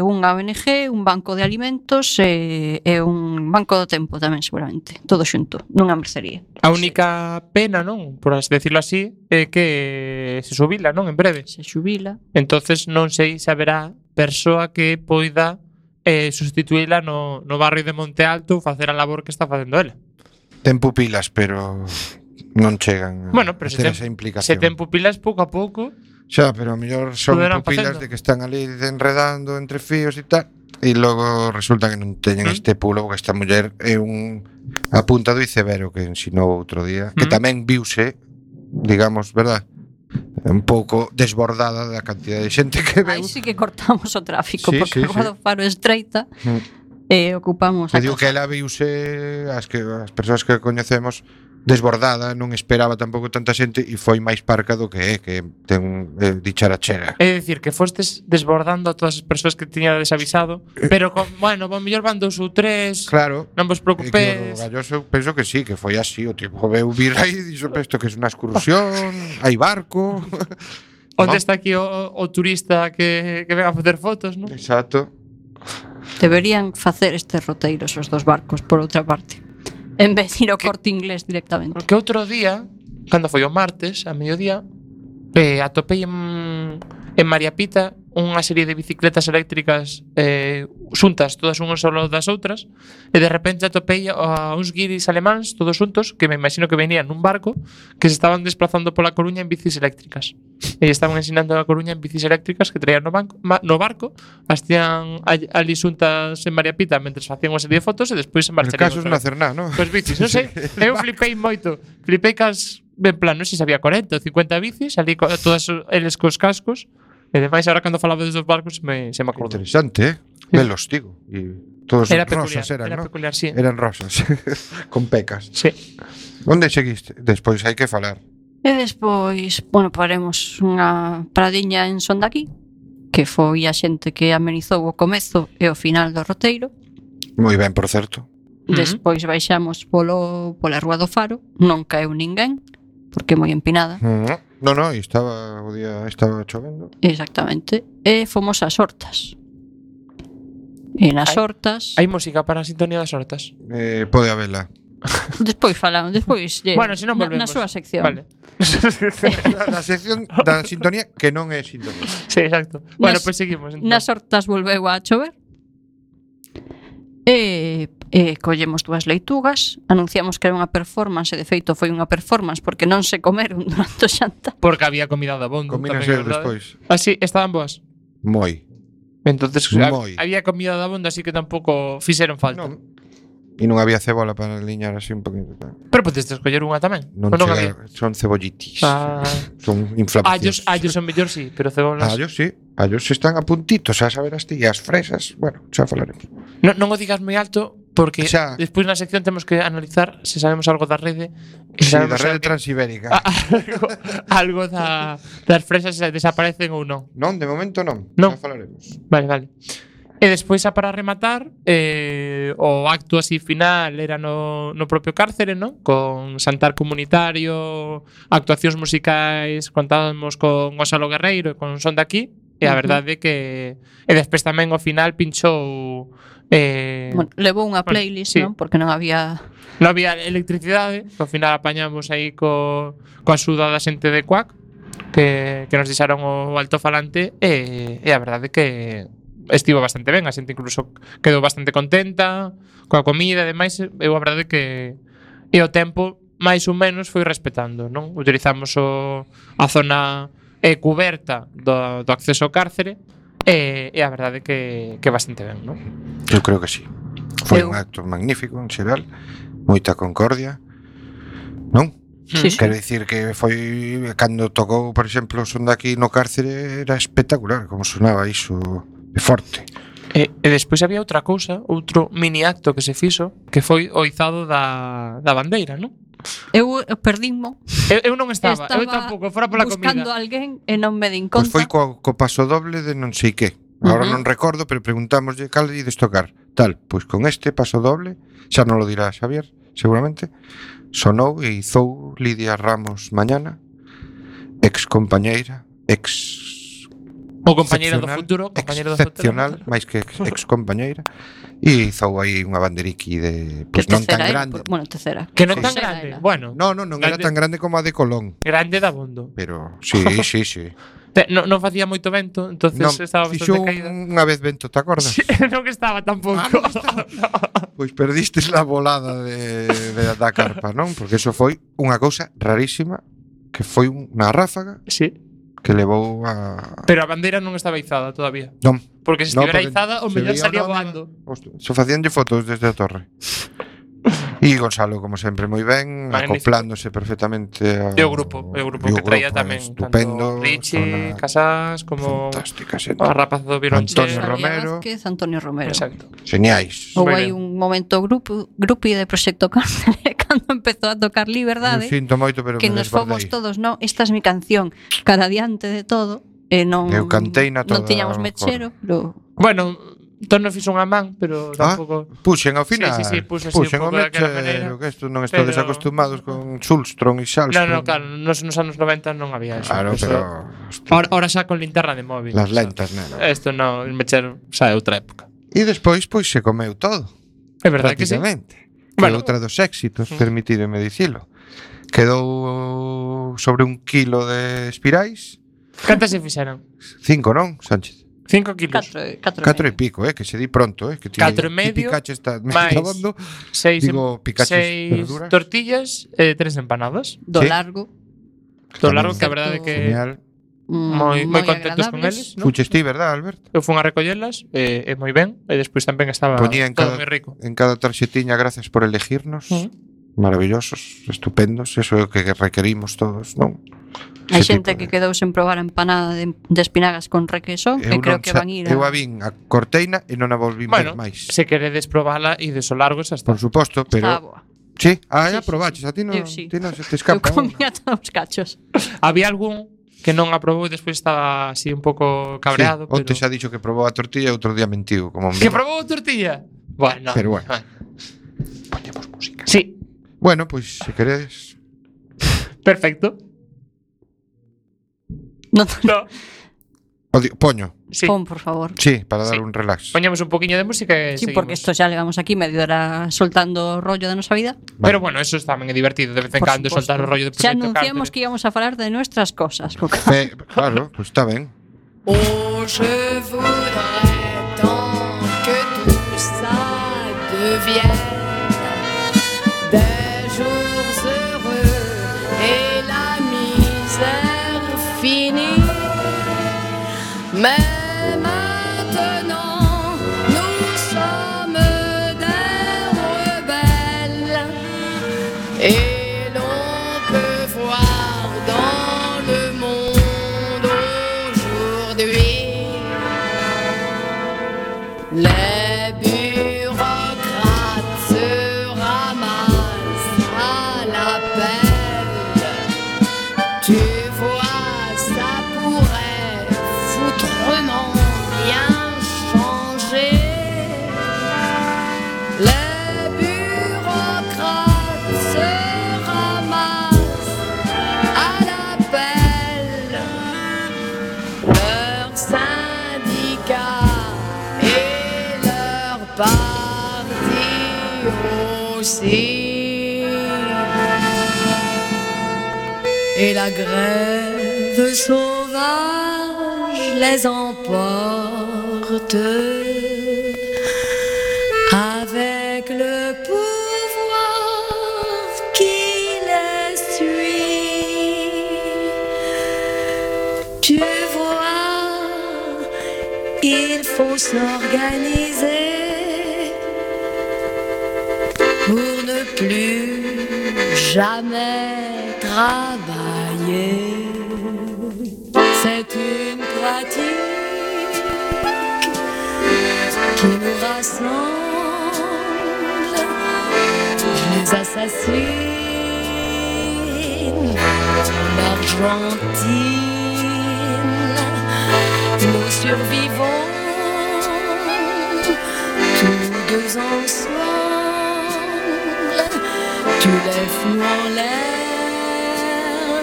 unha ONG, un banco de alimentos e un banco do tempo tamén seguramente, todo xunto, nunha mercería. A única pena, non? Por así decirlo así, é que se xubila, non? En breve. Se xubila. Entonces non sei se haberá persoa que poida sustituíla no barrio de Monte Alto ou facer a labor que está facendo ela. Ten pupilas, pero non chegan Bueno, pero a ter esa implicación. se ten pupilas pouco a pouco. Xa, pero a mellor son Poderán pupilas facendo. de que están ali enredando entre fíos e tal, e logo resulta que non teñen este pulo, porque esta muller é a punta do iceberg que ensinou outro día, que tamén viuse, digamos, verdad? Un pouco desbordada da cantidad de xente que veu. Aí sí que cortamos o tráfico, Sí, porque sí, a Rúa sí. do Faro é estreita e ocupamos Que a digo que casa. ela viuse as persoas que coñecemos desbordada, non esperaba tampouco tanta xente e foi máis parca do que ten dicharachera. É dicir, que fostes desbordando a todas as persoas que tiña desavisado, pero, bueno, ao mellor van 2 ou 3, Claro. non vos E que o preocupes. Galloso penso que sí, que foi así, o tipo veu vir aí e dixo, isto que é unha excursión, hai barco. Onde No. está aquí o turista que ven a facer fotos, non? Exacto. Deberían facer estes roteiros os dos barcos, por outra parte. En vez de ir ao Corte Inglés directamente. Porque outro día, cando foi o martes, a mediodía, atopei en María Pita unha serie de bicicletas eléctricas xuntas, todas unhas ao lado das outras, e de repente atopei a uns guiris alemáns, todos xuntos, que me imagino que venían nun barco, que se estaban desplazando pola Coruña en bicis eléctricas. E estaban ensinando a Coruña en bicis eléctricas que traían no barco, as tían ali xuntas en María Pita mentre facían unha serie de fotos e despois se El marcharían. caso é non hacer nada, ¿no? Cos bicis, non sei. Eu flipei moito. Flipei cas, en plan, non sei se había 40 ou 50 bicis, ali todas eles cos cascos. E demais, agora cando falaba dos barcos, se me acordou. Interesante, Velos, digo. E todos Era rosas peculiar, eran, era ¿no? peculiar, sí. Eran rosas, con pecas. Sí. Onde seguiste? Despois hai que falar. E despois, bueno, paremos unha paradiña en Sondaqui, que foi a xente que amenizou o comezo e o final do roteiro. Moi ben, por certo. Despois baixamos pola Rúa do Faro, non caeu ninguén, porque é moi empinada. No, o día estaba chovendo. Exactamente. E fomos ás Hortas. E nas Hortas... Hai música para a sintonía das hortas. Pode habela. Despois falamos, despois... Bueno, se non volvemos. Na súa sección. Vale. Na sección da sintonía que non é sintonía. Sí, exacto. Bueno, Nas- pois seguimos. Entón. Nas Hortas volveu a chover. E collemos 2 leitugas, anunciamos que era unha performance, e de feito foi unha performance porque non se comeron durante o xanta. Porque había comida de abondo. Combínase tamén é verdade. despois. Ah, sí, estaban boas. Moi. Entonces, Moi. había comida de abondo, así que tampouco fixeron falta. Non. E non había cebola para liñar así un poquito. Pero podes escoller unha tamén. Non, Ou non chega, había. son cebollitis. Ah. Son inflamacións. Allos son mellor, sí, pero cebolas... Allos, sí. Allos están a puntitos, xa saberás ti. E as fresas, bueno, xa falaremos. Non o digas moi alto, porque Xa. despois na sección temos que analizar se sabemos algo da rede. E Sí, sabemos da rede algo- transibérica. algo das fresas se desaparecen ou non. Non, de momento non. Non. Xa falaremos. Vale. E despois, xa para rematar, o acto así final era no propio cárcere, ¿no? Con xantar comunitario, actuacións musicais, contábamos con Gonzalo Guerreiro e con Son de Aquí, e a verdade é que... E despois tamén ao final pinchou... Bueno, levou unha bueno, playlist, sí. non? Porque non había... Non había electricidade, ao final apañamos aí coa axuda da xente de Cuac, que nos deixaron o altofalante, e a verdade é que estivo bastante ben, a xente incluso quedou bastante contenta coa comida e demais, eu a verdade é que e o tempo máis ou menos foi respetando, non? Utilizamos a zona cuberta do acceso ao cárcere e a verdade é que bastante ben, non? Eu creo que sí. Foi Eu- un acto magnífico en xeral, moita concordia. Non? Sí, sí. Quero dicir que foi cando tocou, por exemplo, o Son de Aquí no cárcere era espectacular como sonaba iso de forte. E despois había outra cousa, outro mini acto que se fixo, que foi o izado da bandeira, non? Eu perdinmo, Eu non estaba, eu tampouco, fora pola buscando comida. alguén e non me din Pois conta. foi co paso doble de non sei que. Agora non recordo, pero preguntámoslle cal ides tocar. Tal, pois con este paso doble, xa non lo dirá Xavier, seguramente, sonou e izou Lidia Ramos Mañana, ex compañeira, O compañeiro do excepcional, futuro, compañeiro do excepcional, futuro. máis que ex compañeira, e izou aí unha banderiqui de, Que pois non tan tercera, grande. Bueno, tercera. Que non Sí. tan Tercera grande. era. Bueno, Non era Grande. tan grande como a de Colón, grande da bondo. pero sí, sí, sí. Non facía moito vento, entonces Non, estaba fixo bastante caída. unha vez vento, te acordas? Sí, non estaba tampouco. Non estaba. Pois perdistes la volada da carpa, non? Porque eso foi unha cousa rarísima, que foi unha ráfaga Sí, que levou a... pero a bandeira non estaba izada todavía. Non, Porque se no, estivera porque izada, o se mellor veía salía o nome, voando. hostia, se facíanlle fotos desde a torre. E Gonzalo, como sempre, moi ben, Magnífico. acoplándose perfectamente ao... E o grupo que traía tamén estupendo, tanto Richie, zona Casás como fantástica, xente. a rapaza do violonchelo. Antonio Romero. Vázquez, Antonio Romero. Exacto. Geniais. Houve Moi aí ben. un momento grupi de Proxecto Cárcere cando empezou a tocar Eu Liberdade, sinto moito, pero que me nos fomos desbordei. todos, non, esta es mi canción, cara diante de todo, e non Eu canteina toda non tiñamos a mechero, pero Bueno, Tono fixo unha man, pero tampouco... Puxen ao final. Sí, puxo así Puxen un o pouco daquela mechero, maneira. que isto non estades Pero- acostumados con Sulstrom e Salstrom. No, claro, nos anos 90 non había eso. Claro, Eso- pero... Ahora xa con linterna de móvil. Las o sea, lentas, neno. Isto non, el mechero xa é outra época. E despois, pois, se comeu todo. É verdade que sí. Prácticamente. Bueno. Que outra dos éxitos, permitídeme dicilo. Quedou sobre 1 kilo de espirais. Cantas se fixeron? 5, non, Sánchez? 5 kilos. 4 e pico, que se di pronto, que ti, 4 e ti medio, picaches esta máis abondo, 6 digo, picaches verduras. tortillas e 3 empanadas. do Sí. largo. Do Tamén largo que a verdade que genial. moi contentos con agradables. eles, non? Fuches ti, verdad, Alberto? Eu fun a recollelas e moi ben, e despois tamén estaba Poñía en todo cada, moi rico. en cada tarxetiña gracias por elegirnos. Maravillosos, estupendos, eso é o que requerimos todos, non? Hai Ese xente tipo que quedou sen probar a empanada de espinagas con requesón e creo que van ir Eu a vin a corteina e non a volvín Bueno, ver máis. se queredes probala e de so largo xa está. Por suposto, pero... Está boa. Sí, Sí, ya probaches, a ti non, Eu sí. ti non se te Eu escapa. comía todos os cachos. Había algún que non aprobou e despois estaba así un pouco cabreado, Onte pero... xa dixo que probou a tortilla e outro día mentiu, como un Que vino. probou tortilla? Bueno. Pero bueno. Poñemos música. Sí, Bueno, pois se queredes... perfecto. Non, No, Poño, sí. pon, por favor. sí, para dar Sí. un relax. Poñamos un poquinho de música e Sí, seguimos. porque isto xa levamos aquí medio hora soltando o rollo da nosa vida. Pero bueno, eso tamén é divertido de vez en Por cando suposto. soltar o rollo de Xa Proxecto anunciamos Cárcere. que íbamos a falar de nuestras cosas. Claro, pois está ben. Oh, je voudrais tant que tout ça devienne des jours heureux et la misère finie. Mais maintenant, nous sommes des rebelles et l'on peut voir dans le monde aujourd'hui les bureaucrates se ramassent à l'appel. Tu vois, ça pourrait foutrement bien changer. Les bureaucrates se ramassent à l'appel. Leurs syndicats et leur parti aussi. Et la grève sauvage les emporte avec le pouvoir qui les suit. Tu vois, il faut s'organiser pour ne plus jamais travailler. C'est une pratique qui nous rassemble. Les assassines, l'Argentine, nous survivons tous deux ensemble. Tu les fous en l'air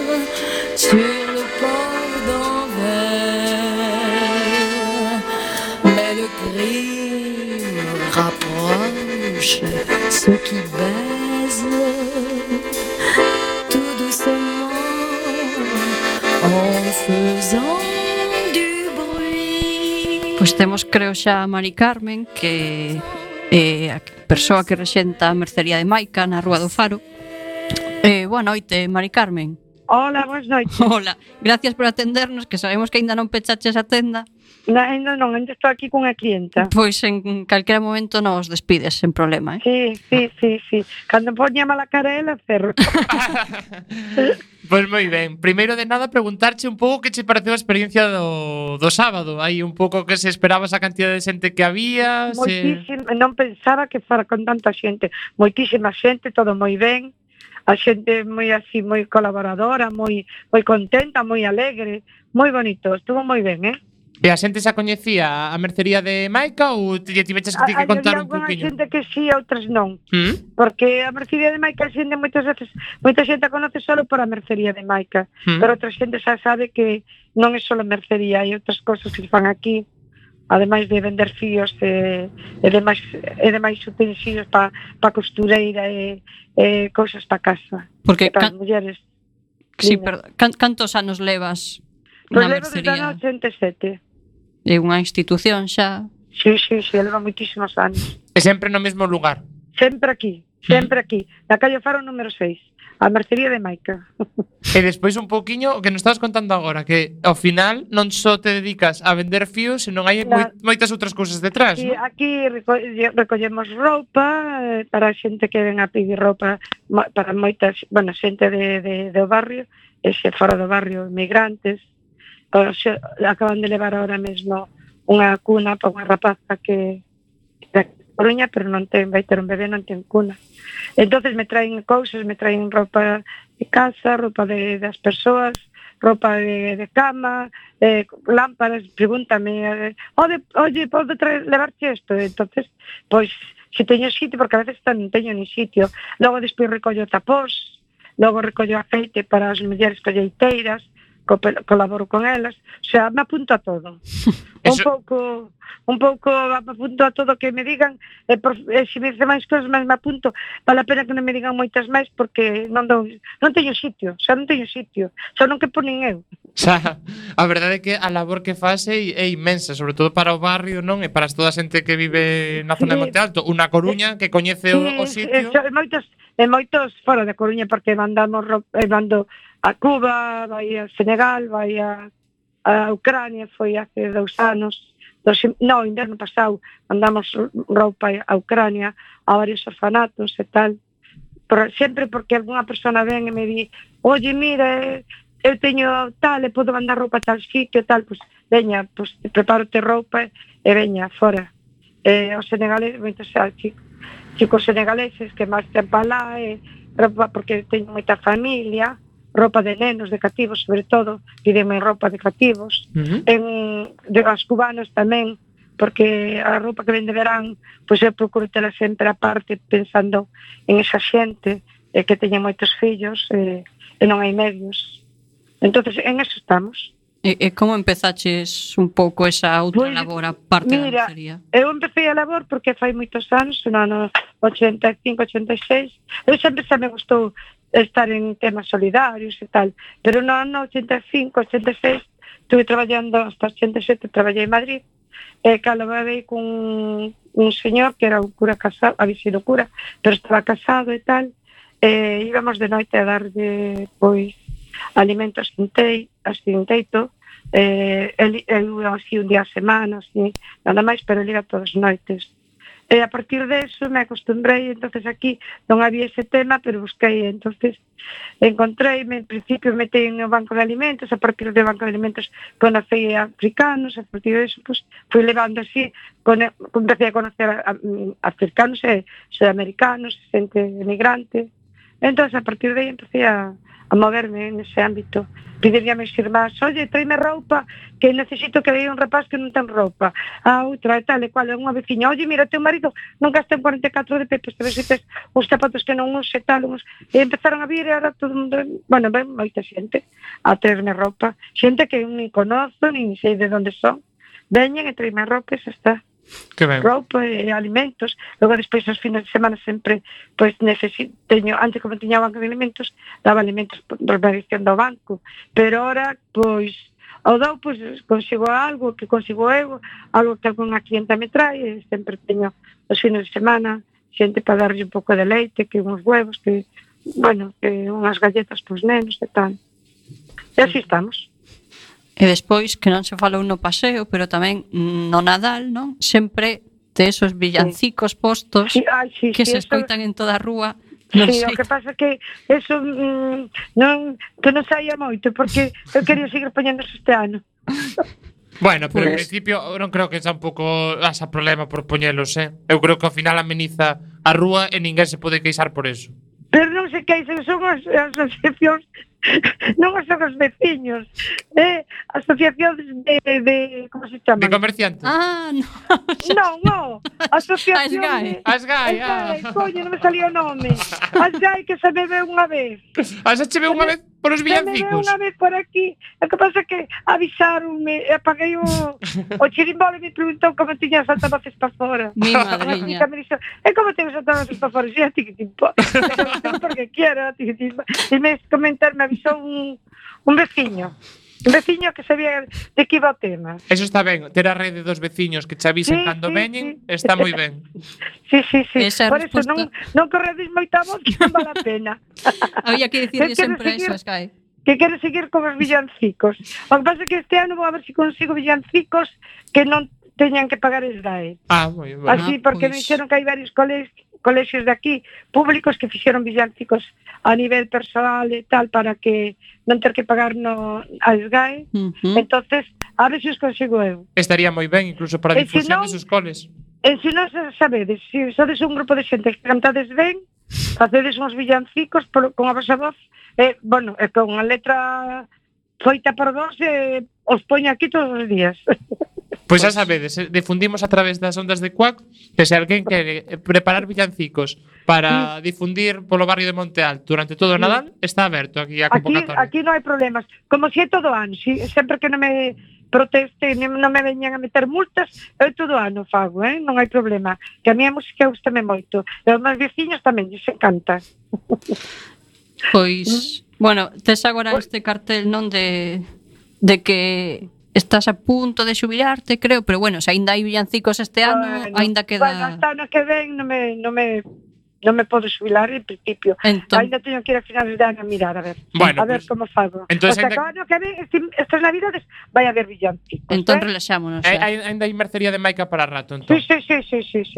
sur le port d'Anvers. Mais le crime rapproche ceux qui baisent tout doucement en faisant Pois temos, creo xa, a Mari Carmen, que é a persoa que rexenta a mercería de Maica na Rúa do Faro. Boa noite, Mari Carmen. Hola, boas noites. Hola, gracias por atendernos, que sabemos que aínda non pechaches a tenda. Ainda non, ainda estou aquí cunha clienta. Pois en calquera momento nos despides, sen problema, Sí. Cando poña mala cara ela, cerro. Pois moi ben. Primeiro de nada preguntarche un pouco que che pareceu a experiencia do sábado. Hai un pouco que se esperaba esa cantidad de xente que había. Moitísima, non pensaba que fora con tanta xente. Moitísima xente, todo moi ben. A xente moi así, moi colaboradora, moi contenta, moi alegre, moi bonito, estuvo moi ben, E a xente xa coñecía a mercería de Maica ou tiveches que ti que contar un Había poquinho? xente que sí, outras non. Porque a mercería de Maica a xente moitas veces, moita xente a conoce solo por a mercería de Maica, pero outra xente xa sabe que non é solo mercería, hai outras cousas que se fan aquí, ademais de vender fíos e demais utensilios para costureira e cousas para casa. Porque para as mulleres. Sí, perdón. Cantos anos levas Pois na levo desde mercería? o 87. É unha institución xa. Sí, leva moitísimos anos. E sempre no mesmo lugar? Sempre aquí, na calle Faro número 6, a mercería de Maica. E despois un pouquiño o que nos estabas contando agora, que ao final non só te dedicas a vender fíos, senón hai moitas outras cousas detrás, Sí, non? aquí recollemos roupa para a xente que ven a pedir roupa para moitas, xente do barrio, e xe fora do barrio, migrantes. Acaban de levar ahora mesmo unha cuna para unha rapaza que da Coruña, pero non vai ter un bebé, non ten cuna. Entonces me traen cousas, me traen roupa de casa, roupa das persoas, roupa de cama, lámparas, pregúntame, oye, podo levarche isto? Entonces, pois, se teño sitio, porque a veces non teño ni sitio. Logo despois recollo tapós, logo recollo aceite para as mulleres colleiteiras, colaboro con elas, o sea, me apunto a todo. Un pouco me apunto a todo que me digan, e se me dice máis cousas, máis me apunto. Vale a pena que non me digan moitas máis porque non teño sitio, xa non que ponen eu. Xa, a verdade é que a labor que faz é inmensa, sobre todo para o barrio, non? E para toda a xente que vive na zona de Monte Alto, unha Coruña que coñece o sitio. Moitos fora de Coruña, porque mando a Cuba, vai a Senegal, vai a Ucrania, foi hace 2 anos. Inverno pasado mandamos roupa a Ucrania, a varios orfanatos e tal. Sempre porque algunha persona ven e me di, oye, mira, eu teño tal, e podo mandar roupa a tal sitio, tal, pois veña, pois prepárote roupa e veña, fora. Os senegaleses, moitos chicos senegaleses que máis tempo alá, roupa porque teño moita familia, roupa de nenos, de cativos, sobre todo, pídenme roupa de cativos. De as cubanos tamén, porque a roupa que vende verán, pois eu procuro tela sempre aparte, pensando en esa xente que teña moitos fillos e non hai medios. Entonces, en eso estamos. E como empezaches un pouco esa outra labor a parte da mercería? Eu empecé a labor porque fai moitos anos, no ano 85, 86. Eu sempre me gustou estar en temas solidarios e tal, pero no ano 85, 86 estuve traballando hasta 87, traballei en Madrid, e calaborei con un señor que era un cura casado, había sido cura, pero estaba casado e tal, e íbamos de noite a darlle pois alimentos sin teito, eu así un día a semana, así, nada máis, pero ele iba todas as noites. E a partir de eso me acostumbrei, entonces aquí non había ese tema, pero busquei, entonces encontreime, en principio metei no banco de alimentos, a partir do banco de alimentos conocei africanos, a partir de eso pues, fui levando así, empecé a conocer africanos e sudamericanos, xente emigrante, entonces a partir de aí empecé a moverme nese ámbito. Pidían a mis irmás, oye, tráeme roupa, que necesito que veia un rapaz que non ten roupa. A outra, e tal e cual, unha veciña, oye, mira, teu marido non gasta en 44 de pepes, te ves que tes os zapatos que non use, tal, e empezaron a vir, e ahora todo mundo, bueno, ven moita xente a traerme roupa, xente que nin conozo, nin sei de onde son, veñen e traerme roupa, e xa está. Que ben. Roupa e alimentos. Logo despois os fines de semana sempre pois teño, antes como tiña o banco de alimentos, daba alimentos por mediación do banco, pero ahora pois ao dou, pois consigo algo que consigo eu, algo que algunha clienta me trae, e sempre teño os fines de semana xente para darlle un pouco de leite, que uns huevos, que, bueno, que unhas galletas pros nenos e tal. E así estamos. E despois, que non se falou no paseo, pero tamén no Nadal, non? Sempre de esos villancicos postos Sí, que se eso- escoitan en toda a rúa. Non Sí, sei. o que pasa que eso que non saía moito, porque eu quería seguir poñéndose este ano. Bueno, pero en Pues- principio non creo que xa un pouco asa problema por poñelos, Eu creo que ao final ameniza a rúa e ninguén se pode queixar por eso. Pero non se queixen, son as asociacións, non son os veciños, asociacións de como se chama? De comerciantes. Ah, no. Non, asociación Asgai. Asgai, coño, non me salía o nome. Asgai que se me ve unha vez. Asa che ve unha vez polos Se me ve villancicos. unha vez por aquí. O que pasa é que avisaronme, apaguei o chirimbolo e me preguntou como tiña saltavoces para fora. Mi E madriña. me dixo, como tengo saltavoces para fora? Xa, ti que te importa. Porque quiero, ti que te importa. E me comentar, me avisou un veciño. Un veciño que sabía de que iba o tema. Eso está ben, ter a rede dos veciños que che avisen Sí, cando sí, veñen, sí. está moi ben. Sí. Esa Por eso resposta- non corredes moita voz que non vale a pena. Había que dicirle Que quere sempre seguir- eso, Sky. Que quero seguir con os villancicos. O que pasa é que este ano vou a ver se consigo villancicos que non teñan que pagar SDAE. Ah, moi ben. Así, porque pois. me dixeron que hai varios colexios de aquí públicos que fixeron villancicos a nivel personal e tal para que non ter que pagar a SGAE. Entonces, a ver se os consigo eu. Estaría moi ben incluso para E se difusión non- desos coles. E se non sabedes, se sodes un grupo de xente que cantades ben, facedes uns villancicos con a vosa voz, bueno, e con a letra feita por vos, os poño aquí todos os días. Pois xa sabedes, difundimos a través das ondas de Cuac que se alguén quere preparar villancicos para difundir polo barrio de Monte Alto durante todo o Nadal, está aberto aquí a convocatoria. Aquí non hai problemas. Como se é todo ano, sempre que non me proteste, non me veñan a meter multas, eu todo ano fago, non hai problema. Que a mí a música gustame moito. E os meus veciños tamén, lles encanta. Pois, bueno, tes agora este cartel non de que estás a punto de xubilarte, creo, pero bueno, se aínda hai villancicos este ano, Bueno, aínda Bueno, queda... hasta ano que ven non me podo xubilar en principio. Entón, Ainda teño que ir a finales de ano a mirar, a ver. Bueno, a ver pues, como fago. entonces o sea, ainda- que ano que ven, estas navidades, vai haber villancicos. entón relaxámonos. Ainda hai mercería de Maica para rato, entón. Sí.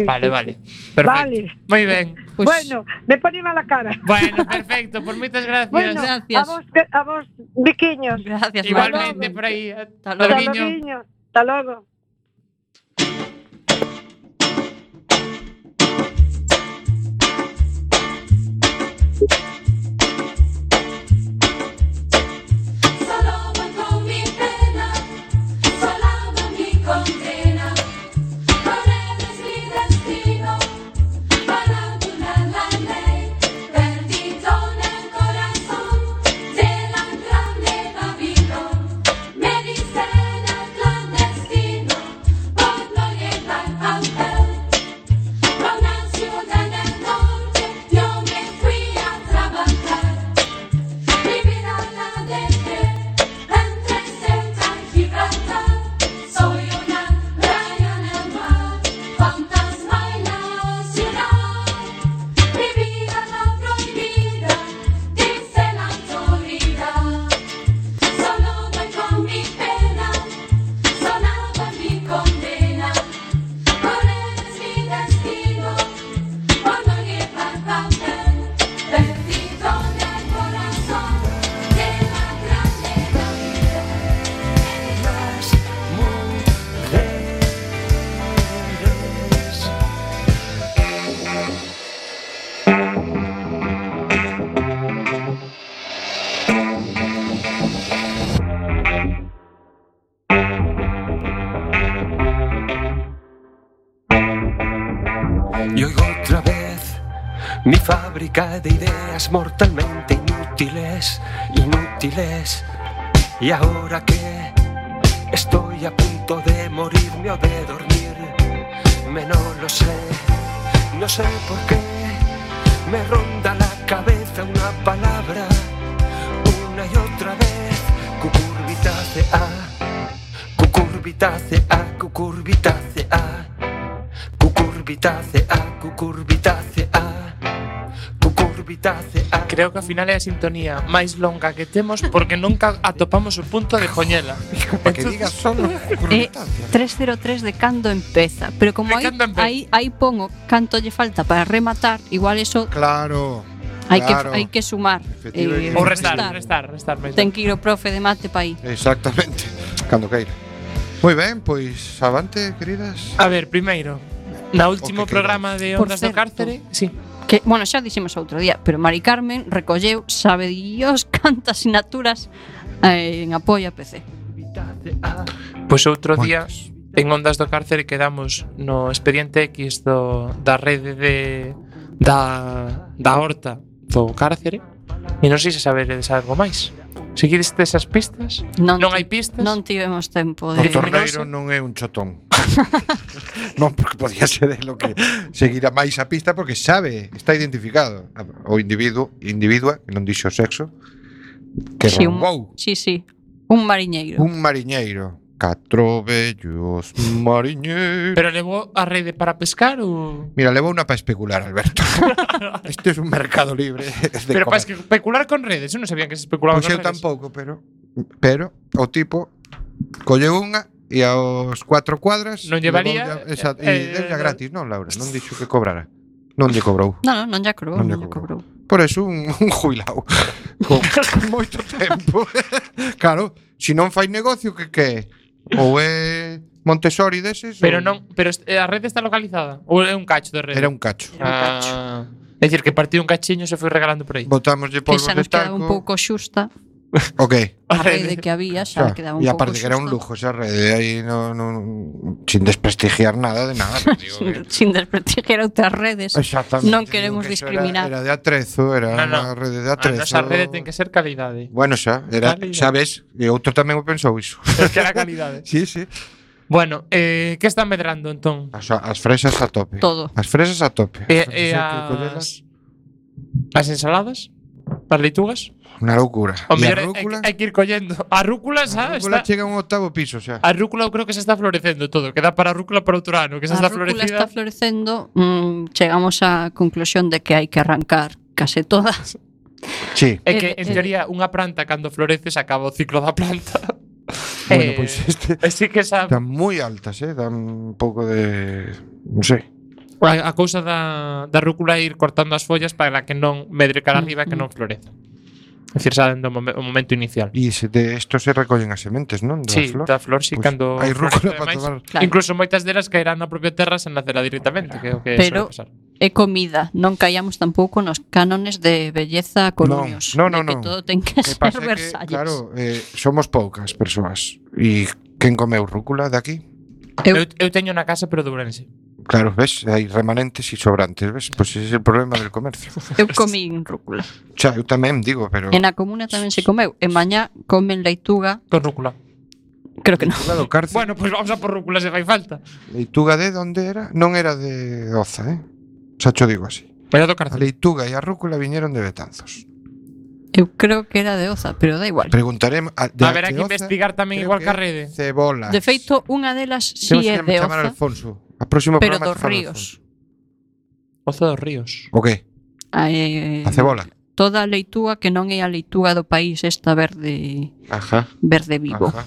Vale, sí. vale. Perfecto. Vale. Moi ben. Pois, Bueno, me pone mala cara. Bueno, perfecto, por moitas gracias. Bueno, gracias. a vos, biquiños. gracias, Igualmente Marta. por aí. Hasta Hasta logo. luego. Loguiño. Hasta logo. Solo voy con mi pena, solando mi condena. Con él es mi destino, para burlar la ley. Perdido en el corazón de la grande Babilón. Me dicen el clandestino por no llevar papel. Con la ciudad en el norte yo me fui a trabajar. Mi vida la dejé entre Ceuta y Gibraltar. Soy una raya en el mar, fantasma en la ciudad. Mi vida la prohibida, dice la autoridad. Solo voy con mi pena, sonaba mi condena. Por él es mi destino, por no llevar papel. Perdido en el corazón de la grande Y oigo otra vez mi fábrica de ideas mortalmente inútiles, inútiles. Y ahora que estoy a punto de morirme o de dormirme, no lo sé, no sé por qué me ronda la cabeza una palabra una y otra vez, cucurbitácea. cucurbitácea, cucurbitácea, cucurbitácea, cucurbitácea, cucurbitácea. Creo que ao final é a sintonía máis longa que temos porque nunca atopamos o punto de Joñela. Para que digas solo É cucurbitácea. 303 de cando empeza, pero como De aí, cando empeza. aí pongo canto lle falta para rematar, igual eso Claro. hai claro. que sumar. Efectivamente. Ou restar. máis Ten que ir o profe de mate para aí. Exactamente. Cando queira. Moi ben, pois avante, queridas. A ver, primeiro, na último O que programa de Por Ondas do certo. Cárcere, sí. Que, bueno, xa dixemos outro día, pero Mari Carmen recolleu, sabe Dios, cantas asignaturas en apoio a PC. Pois outro día en Ondas do Cárcere quedamos no expediente X da rede da horta do cárcere e non sei se saberedes algo máis. Seguides esas pistas? Non hai pistas? Non tivemos tempo O de... torneiro non é un chotón. Non, porque podía ser lo que seguirá máis a pista porque sabe, está identificado o individua, que non dixo o sexo, que Sí, roubou sí, un mariñeiro. un mariñeiro. 4 vellos mariñeiros. Pero levou a rede para pescar ou... Mira, levou unha para especular, Alberto. Este é un mercado libre de Pero para comer. especular con redes, eu non sabía que se especulaba Pois con eu redes. tampouco, pero o tipo colleu unha e aos 4 cuadras Non llevaría, e deulla gratis, non, Laura, non dixo que cobrara. Non lle cobrou. Non lle cobrou, Non lle non lle cobrou. Por eso un jubilado con moito tempo. Claro, se non fai negocio que é? Ou é Montessori deses? Pero ou... non, pero a rede está localizada ou é un cacho de rede? Era un cacho. É dicir, que partiu un cachiño e se foi regalando por aí. Botámoslle Que polvos xa de nos quedaba talco. un pouco xusta Ok. a rede que había, xa quedaba un e pouco aparte que era un xusta. lujo esa rede aí sin desprestigiar nada de nada. Digo, Sin desprestigiar outras redes. exactamente. Non Digo queremos que eso discriminar. Era de atrezo, era No, no. unha rede de A atrezo. nosa rede ten que ser calidade. Bueno, xa, era, Calidade. xa ves, e outro tamén o pensou iso. Que era calidade. Sí, sí. Bueno, que está medrando entón? As fresas a tope. Todo. As fresas a tope. E As fresas hai que collelas. as ensaladas? As leitugas? Unha loucura. O E a mellor rúcula? hai que ir collendo. A rúcula xa A rúcula está... chega a un octavo piso xa. A rúcula eu creo que se está florecendo todo. Queda para a rúcula para outro ano, que xa A está rúcula florecida. está florecendo, chegamos á conclusión de que hai que arrancar case todas. Sí. É que, en teoría, unha planta cando florece se acaba o ciclo da planta. Bueno, pois este Sí que esa... están moi altas, dan un pouco de, non sei. A cousa da rúcula é ir cortando as follas para que non medre cara arriba e que non floreza. É dicir, xa dentro o momento inicial. E de esto se recollen as sementes, non? Da Sí, flor. da flor, sí, Pois cando hai rúcula florece para máis. tomar. Claro. Incluso moitas delas caerán na propia terra sen nacerá directamente, que é o que Pero suele pasar. é comida, non caíamos tampouco nos cánones de belleza coruños. Non, de non, que non. todo ten que Que ser pasa que, Versalles. claro, somos poucas persoas. E quen comeu rúcula de aquí? Eu teño na casa, pero de Ourense. Claro, ves, hai remanentes e sobrantes, ves? Pois ese é o problema del comercio. Eu comín rúcula. Xa, eu tamén digo, pero E na comuna tamén se comeu. E mañá comen leituga. Con rúcula. Creo que non. Claro, cárcel. Bueno, pois vamos a por rúcula se fai falta. Leituga de onde era? Non era de Oza, Xa cho digo así. Pero do A cárcel. leituga e a rúcula viñeron de Betanzos. Eu creo que era de Oza, pero da igual. Preguntaremos Haberá que investigar tamén igual que a rede. Cebolas. De feito, unha delas sí Temos é que de chamar a Oza, Alfonso. A próximo pero programa dos te falo de ríos. Ozo dos ríos. O que? A cebola. Toda a leituga que non é a leituga do país, esta verde Ajá. vivo. Ajá.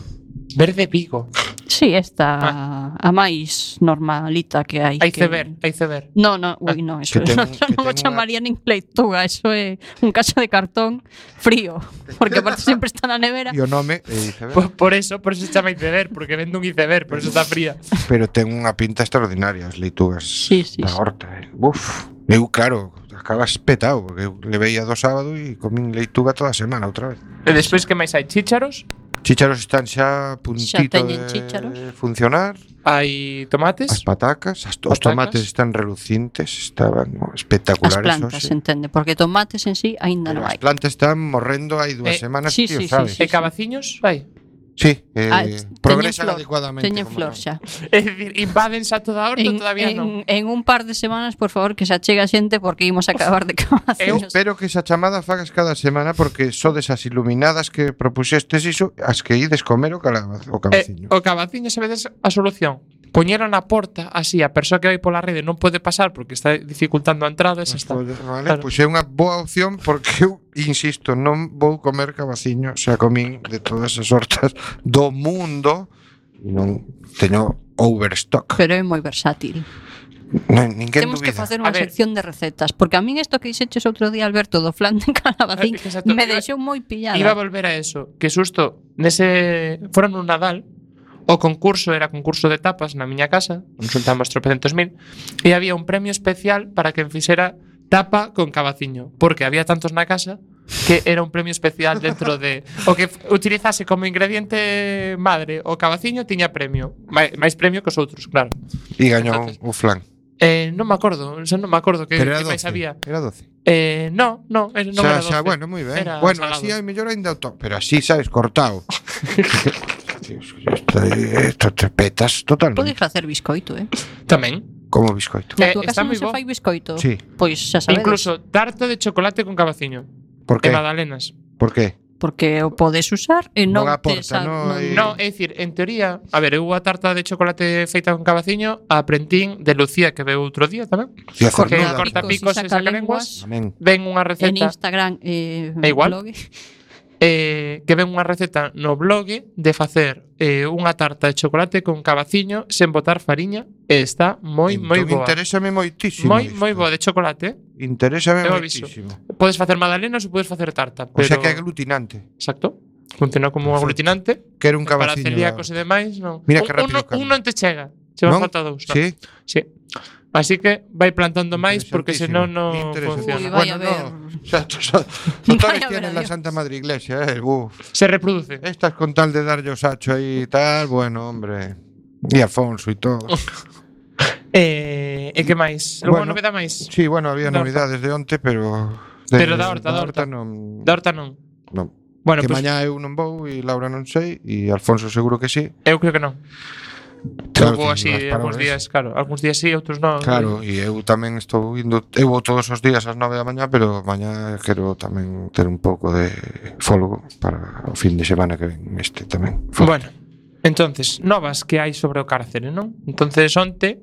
Verde Vigo. Sí, esta a máis normalita que hai. Hai que... ceber. No, ui, no, eso Que ten non, un- eso que non o ten chamaría nin leituga, eso é un cacho de cartón frío, porque aparte sempre está na nevera. E o nome é iceberg. Por eso se chama iceberg, porque vende un iceberg, por eso está fría. Pero ten unha pinta extraordinaria as leitugas Sí, sí, da sí. horta. Uf, eu claro, acabas petado, porque eu levei a do sábado e comín leituga toda a semana outra vez. E despois que máis hai? Chícharos? Chícharos están xa a puntito teñen de chícharos. funcionar. Hai tomates? As patacas, os Patacas. tomates están relucientes, estaban As espectaculares. plantas, hoxe. entende, porque tomates en sí aínda Pero non as hai. plantas están morrendo hai 2 semanas, sí, tío, sí, sabes? sí, E cabaciños? Hai? Sí, progresan flor, adecuadamente. teñen como flor non. xa. É dicir, invádense a toda a horta, todavía non. En un par de semanas, por favor, que se achega xente porque imos a acabar de Eu cabaciños. espero que esa chamada fagas cada semana porque sodes as iluminadas que propuxestes iso, as que ides comer o cabaciño. O cabaciño, sabedes a solución? Poñelo na porta, así a persoa que vai pola rede non pode pasar porque está dificultando a entrada, esa está. Vale, Claro. pois é unha boa opción porque eu insisto, non vou comer cabaciño, xa comín de todas as hortas do mundo e non teño overstock. Pero é moi versátil. Ninguén Temos que dubida. facer A unha ver. sección de recetas, porque a min isto que dixeches outro día, Alberto, do flan de calabacín, Exacto. me deixou moi pillada. Iba a volver a eso, que susto, fora nun Nadal, o concurso era concurso de tapas na miña casa, nos juntamos 300.000, e había un premio especial para quen fixera tapa con cabaciño, porque había tantos na casa que era un premio especial dentro de o que utilizase como ingrediente madre o cabaciño tiña premio, máis premio que os outros, claro. E gañou Entonces, o flan. Non me acordo, non me acordo que Pero era máis 12. había. Era 12. Non era 12. Bueno, moi ben. Era Bueno, salado. así hai mellor ainda o top, pero así, sabes, cortado. Isto te petas Podes totalmente. facer biscoito, Tamén. Como biscoito. Na tua está casa non moi se bo. fai biscoito? Sí. Pois xa sabedes. Incluso tarta de chocolate con cabaciño. Por De qué? magdalenas. Por qué? Porque o podes usar e non, Non te aporta, non hai- No, é dicir, en teoría, a ver, eu a tarta de chocolate feita con cabaciño a prentín de Lucía que veu outro día tamén. Cía Porque cernuda. corta picos e sacalenguas. sacalenguas. Amén. Ven unha En receta Instagram É igual. blog. que ven unha receta no blog de facer unha tarta de chocolate con cabaciño sen botar fariña e está moi Entón, boa. Interésame moitísimo. Moi boa de chocolate. Interésame Eu aviso. moitísimo. Podes facer magdalenas ou podes facer tarta, O pero sea que é aglutinante. exacto. Funciona como un Perfecto. aglutinante. Quero un Para cabaciño. celíacos e demais, non. Mira que rápido cambia. un non te chega. Che van Non? falta dous. Non. Sí. Sí. Así que vai plantando máis porque senón non Interesantísimo. Uy, funciona. vaya Bueno, a ver. no. O sea, totales Vaya a ver, tienen la adiós. Santa Madre Iglesia, uf. Se reproduce. Estas con tal de darlle o sacho aí y tal, bueno, hombre. Y Afonso y todo. E que máis? Alguna Bueno, novedade máis? Sí, bueno, había Da novidades de onte, pero Pero da horta. non. Da horta non. Non. Bueno, Que pues, mañá eu non vou e Laura non sei e Alfonso seguro que sí. eu creo que non. Claro, Vou que así vas para algúns o días, claro. Algúns días sí, outros non. Claro, e eu tamén estou indo, eu vou todos os días ás 9 da mañá, pero mañá quero tamén ter un pouco de folgo para o fin de semana que ven este tamén. Bueno, entonces, novas que hai sobre o cárcere, non? Entonces, onte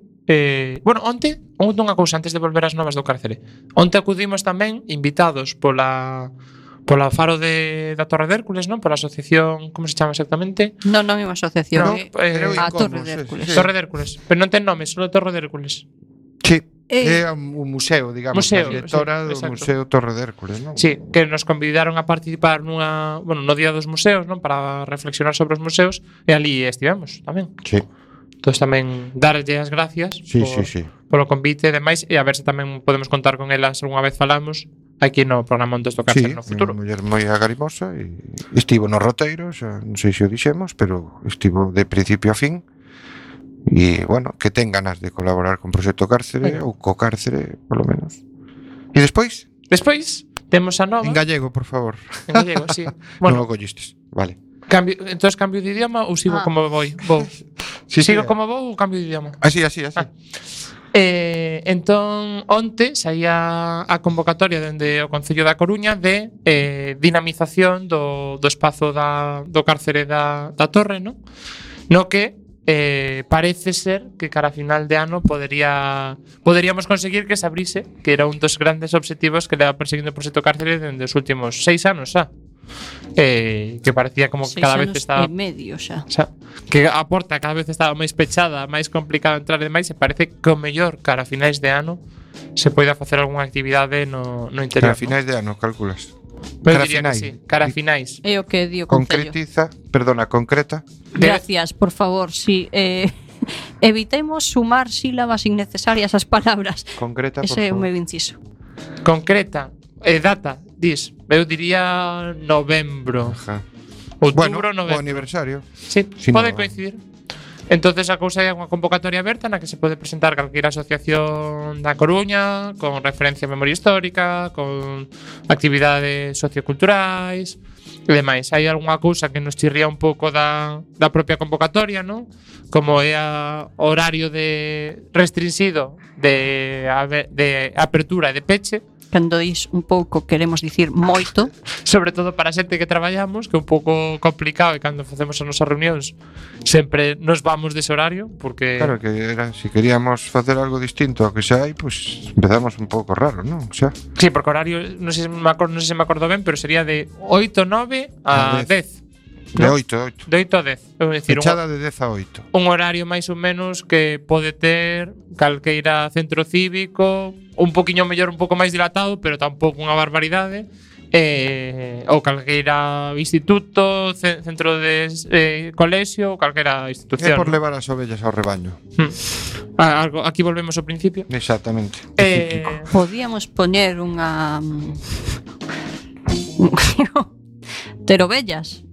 onte unha cousa antes de volver ás novas do cárcere. Onte acudimos tamén invitados pola Faro da Torre de Hércules, non? Pola asociación, como se chama exactamente? Non é unha asociación, No, Creo a incómodo, Torre de Hércules. sí. Torre de Hércules, pero non ten nome, só Torre de Hércules. Sí, é un museo, digamos, Museo, a directora sí, do exacto. Museo Torre de Hércules, non? Sí, que nos convidaron a participar no Día dos Museos, non? Para reflexionar sobre os museos, e ali estivemos tamén. Sí, Entón tamén darlle as gracias sí, sí. polo convite e demais, e a ver se tamén podemos contar con elas algunha vez falamos aquí no programa Ondas do Cárcere Sí, no futuro. unha muller moi agarimosa e estivo no roteiro, xa non sei se o dixemos, pero estivo de principio a fin. E, bueno, que ten ganas de colaborar con Proxecto Cárcere Venga. ou co Cárcere, polo menos. E despois, Despois temos a nova en gallego, por favor. en gallego, sí. Bueno, Bueno, non o collistes. Vale. entonces cambio de idioma ou sigo como vou? Sí, Sigo como vou ou cambio de idioma? Así. Entón, onte saía a convocatoria dende o Concello da Coruña de dinamización do espazo do cárcere da Torre, non? No que parece ser que cara a final de ano poderíamos conseguir que se abrise, que era un dos grandes obxectivos que leva perseguindo o proxecto cárcere dende os últimos 6 anos xa. Que parecía como que 6 cada vez anos estaba e medio xa. O sea, que a porta cada vez estaba máis pechada, máis complicado entrar e demais, e parece que o mellor cara a finais de ano se poida facer algunha actividade no interior. Cara a finais de ano, calculas. Pero cara diría finais. que sí, cara a finais. É o que di o Concello. Concreta. Gracias, por favor, si evitemos sumar sílabas innecesarias ás palabras. Concreta, por Ese é o favor. meu inciso. Concreta, data, dis, eu diría novembro. Ajá. Outubro, Bueno, o novembro. aniversario. Sí, Si pode no- coincidir. Entonces a cousa é unha convocatoria aberta na que se pode presentar calquera asociación da Coruña con referencia a memoria histórica, con actividades socioculturais e demais. Hai algunha cousa que nos chirría un pouco da propia convocatoria, non? Como é o horario de restringido de apertura e de peche. Cando dis un pouco queremos dicir moito. Sobre todo para a xente que traballamos, que é un pouco complicado e cando facemos as nosas reunións sempre nos vamos dese horario porque Claro que era, si queríamos facer algo distinto ao que xa hai, pues empezamos un pouco raro, non? Xa. Sí, porque o horario non sei se me acordo ben, pero sería de 8, 9 a 10. De ¿no? 8 De 8 a 10. É dicir, Fechada de 10 a 8. un horario máis ou menos que pode ter calqueira centro cívico, un poquinho mellor, un pouco máis dilatado, pero tampouco unha barbaridade. Ou calqueira instituto, centro de colexio, ou calquera É institución. por levar as ovellas ao rebaño. Aquí volvemos ao principio. Exactamente. Podíamos poñer unha ter ovellas,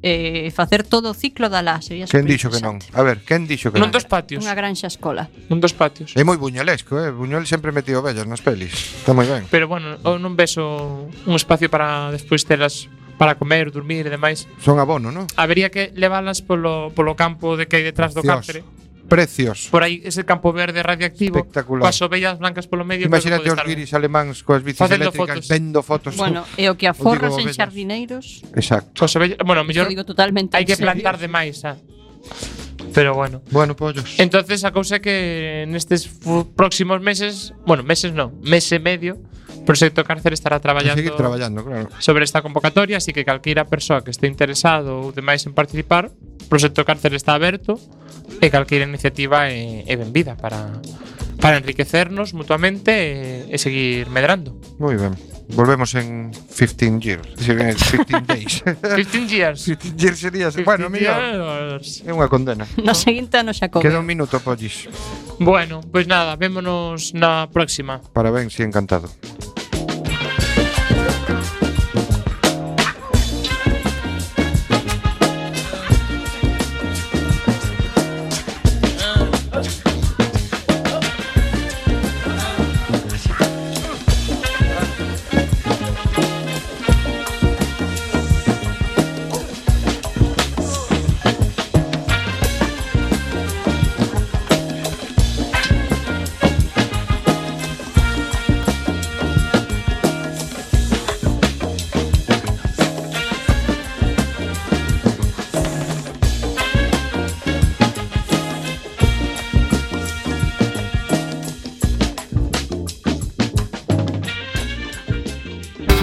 facer todo o ciclo da lá, sería Quen dixo que non? A ver, quen dixo que non? Non dos patios. Unha granxa escola. Non dos patios. É moi buñolesco, Buñol sempre metía ovellas nas pelis. Está moi ben. Pero bueno, non ves un espacio para despois telas para comer, dormir e demais. Son abono, non? Habería que leválas polo campo de que hai detrás do Precioso. Cáceres. Precioso. Por aí ese campo verde radioactivo, Espectacular. coas ovellas blancas polo medio. Imagínate creo os que pode guiris alemáns coas bicis Facendo eléctricas fotos. vendo fotos. Bueno, e o que aforras en ovellas. xardineiros, Exacto. Coas ovellas, bueno, mellor lo digo totalmente hai en que serio. plantar demais, Pero bueno. Bueno, pollos. Entonces a cousa é que nestes próximos meses, bueno, meses non, mes e medio, Proxecto Cárcere estará traballando Seguir traballando, claro. sobre esta convocatoria, así que calquera persoa que este interesado ou demais en participar, Proxecto Cárcere está aberto e calquera iniciativa é benvida para enriquecernos mutuamente e seguir medrando. Moi ben. Volvemos en 15 years. En 15 days. 15 years. 15 years sería, bueno, mellor. years. É unha condena. No seguinte ano xa Queda come. un minuto, pollis. Bueno, pois nada, vémonos na próxima. Parabéns e encantado.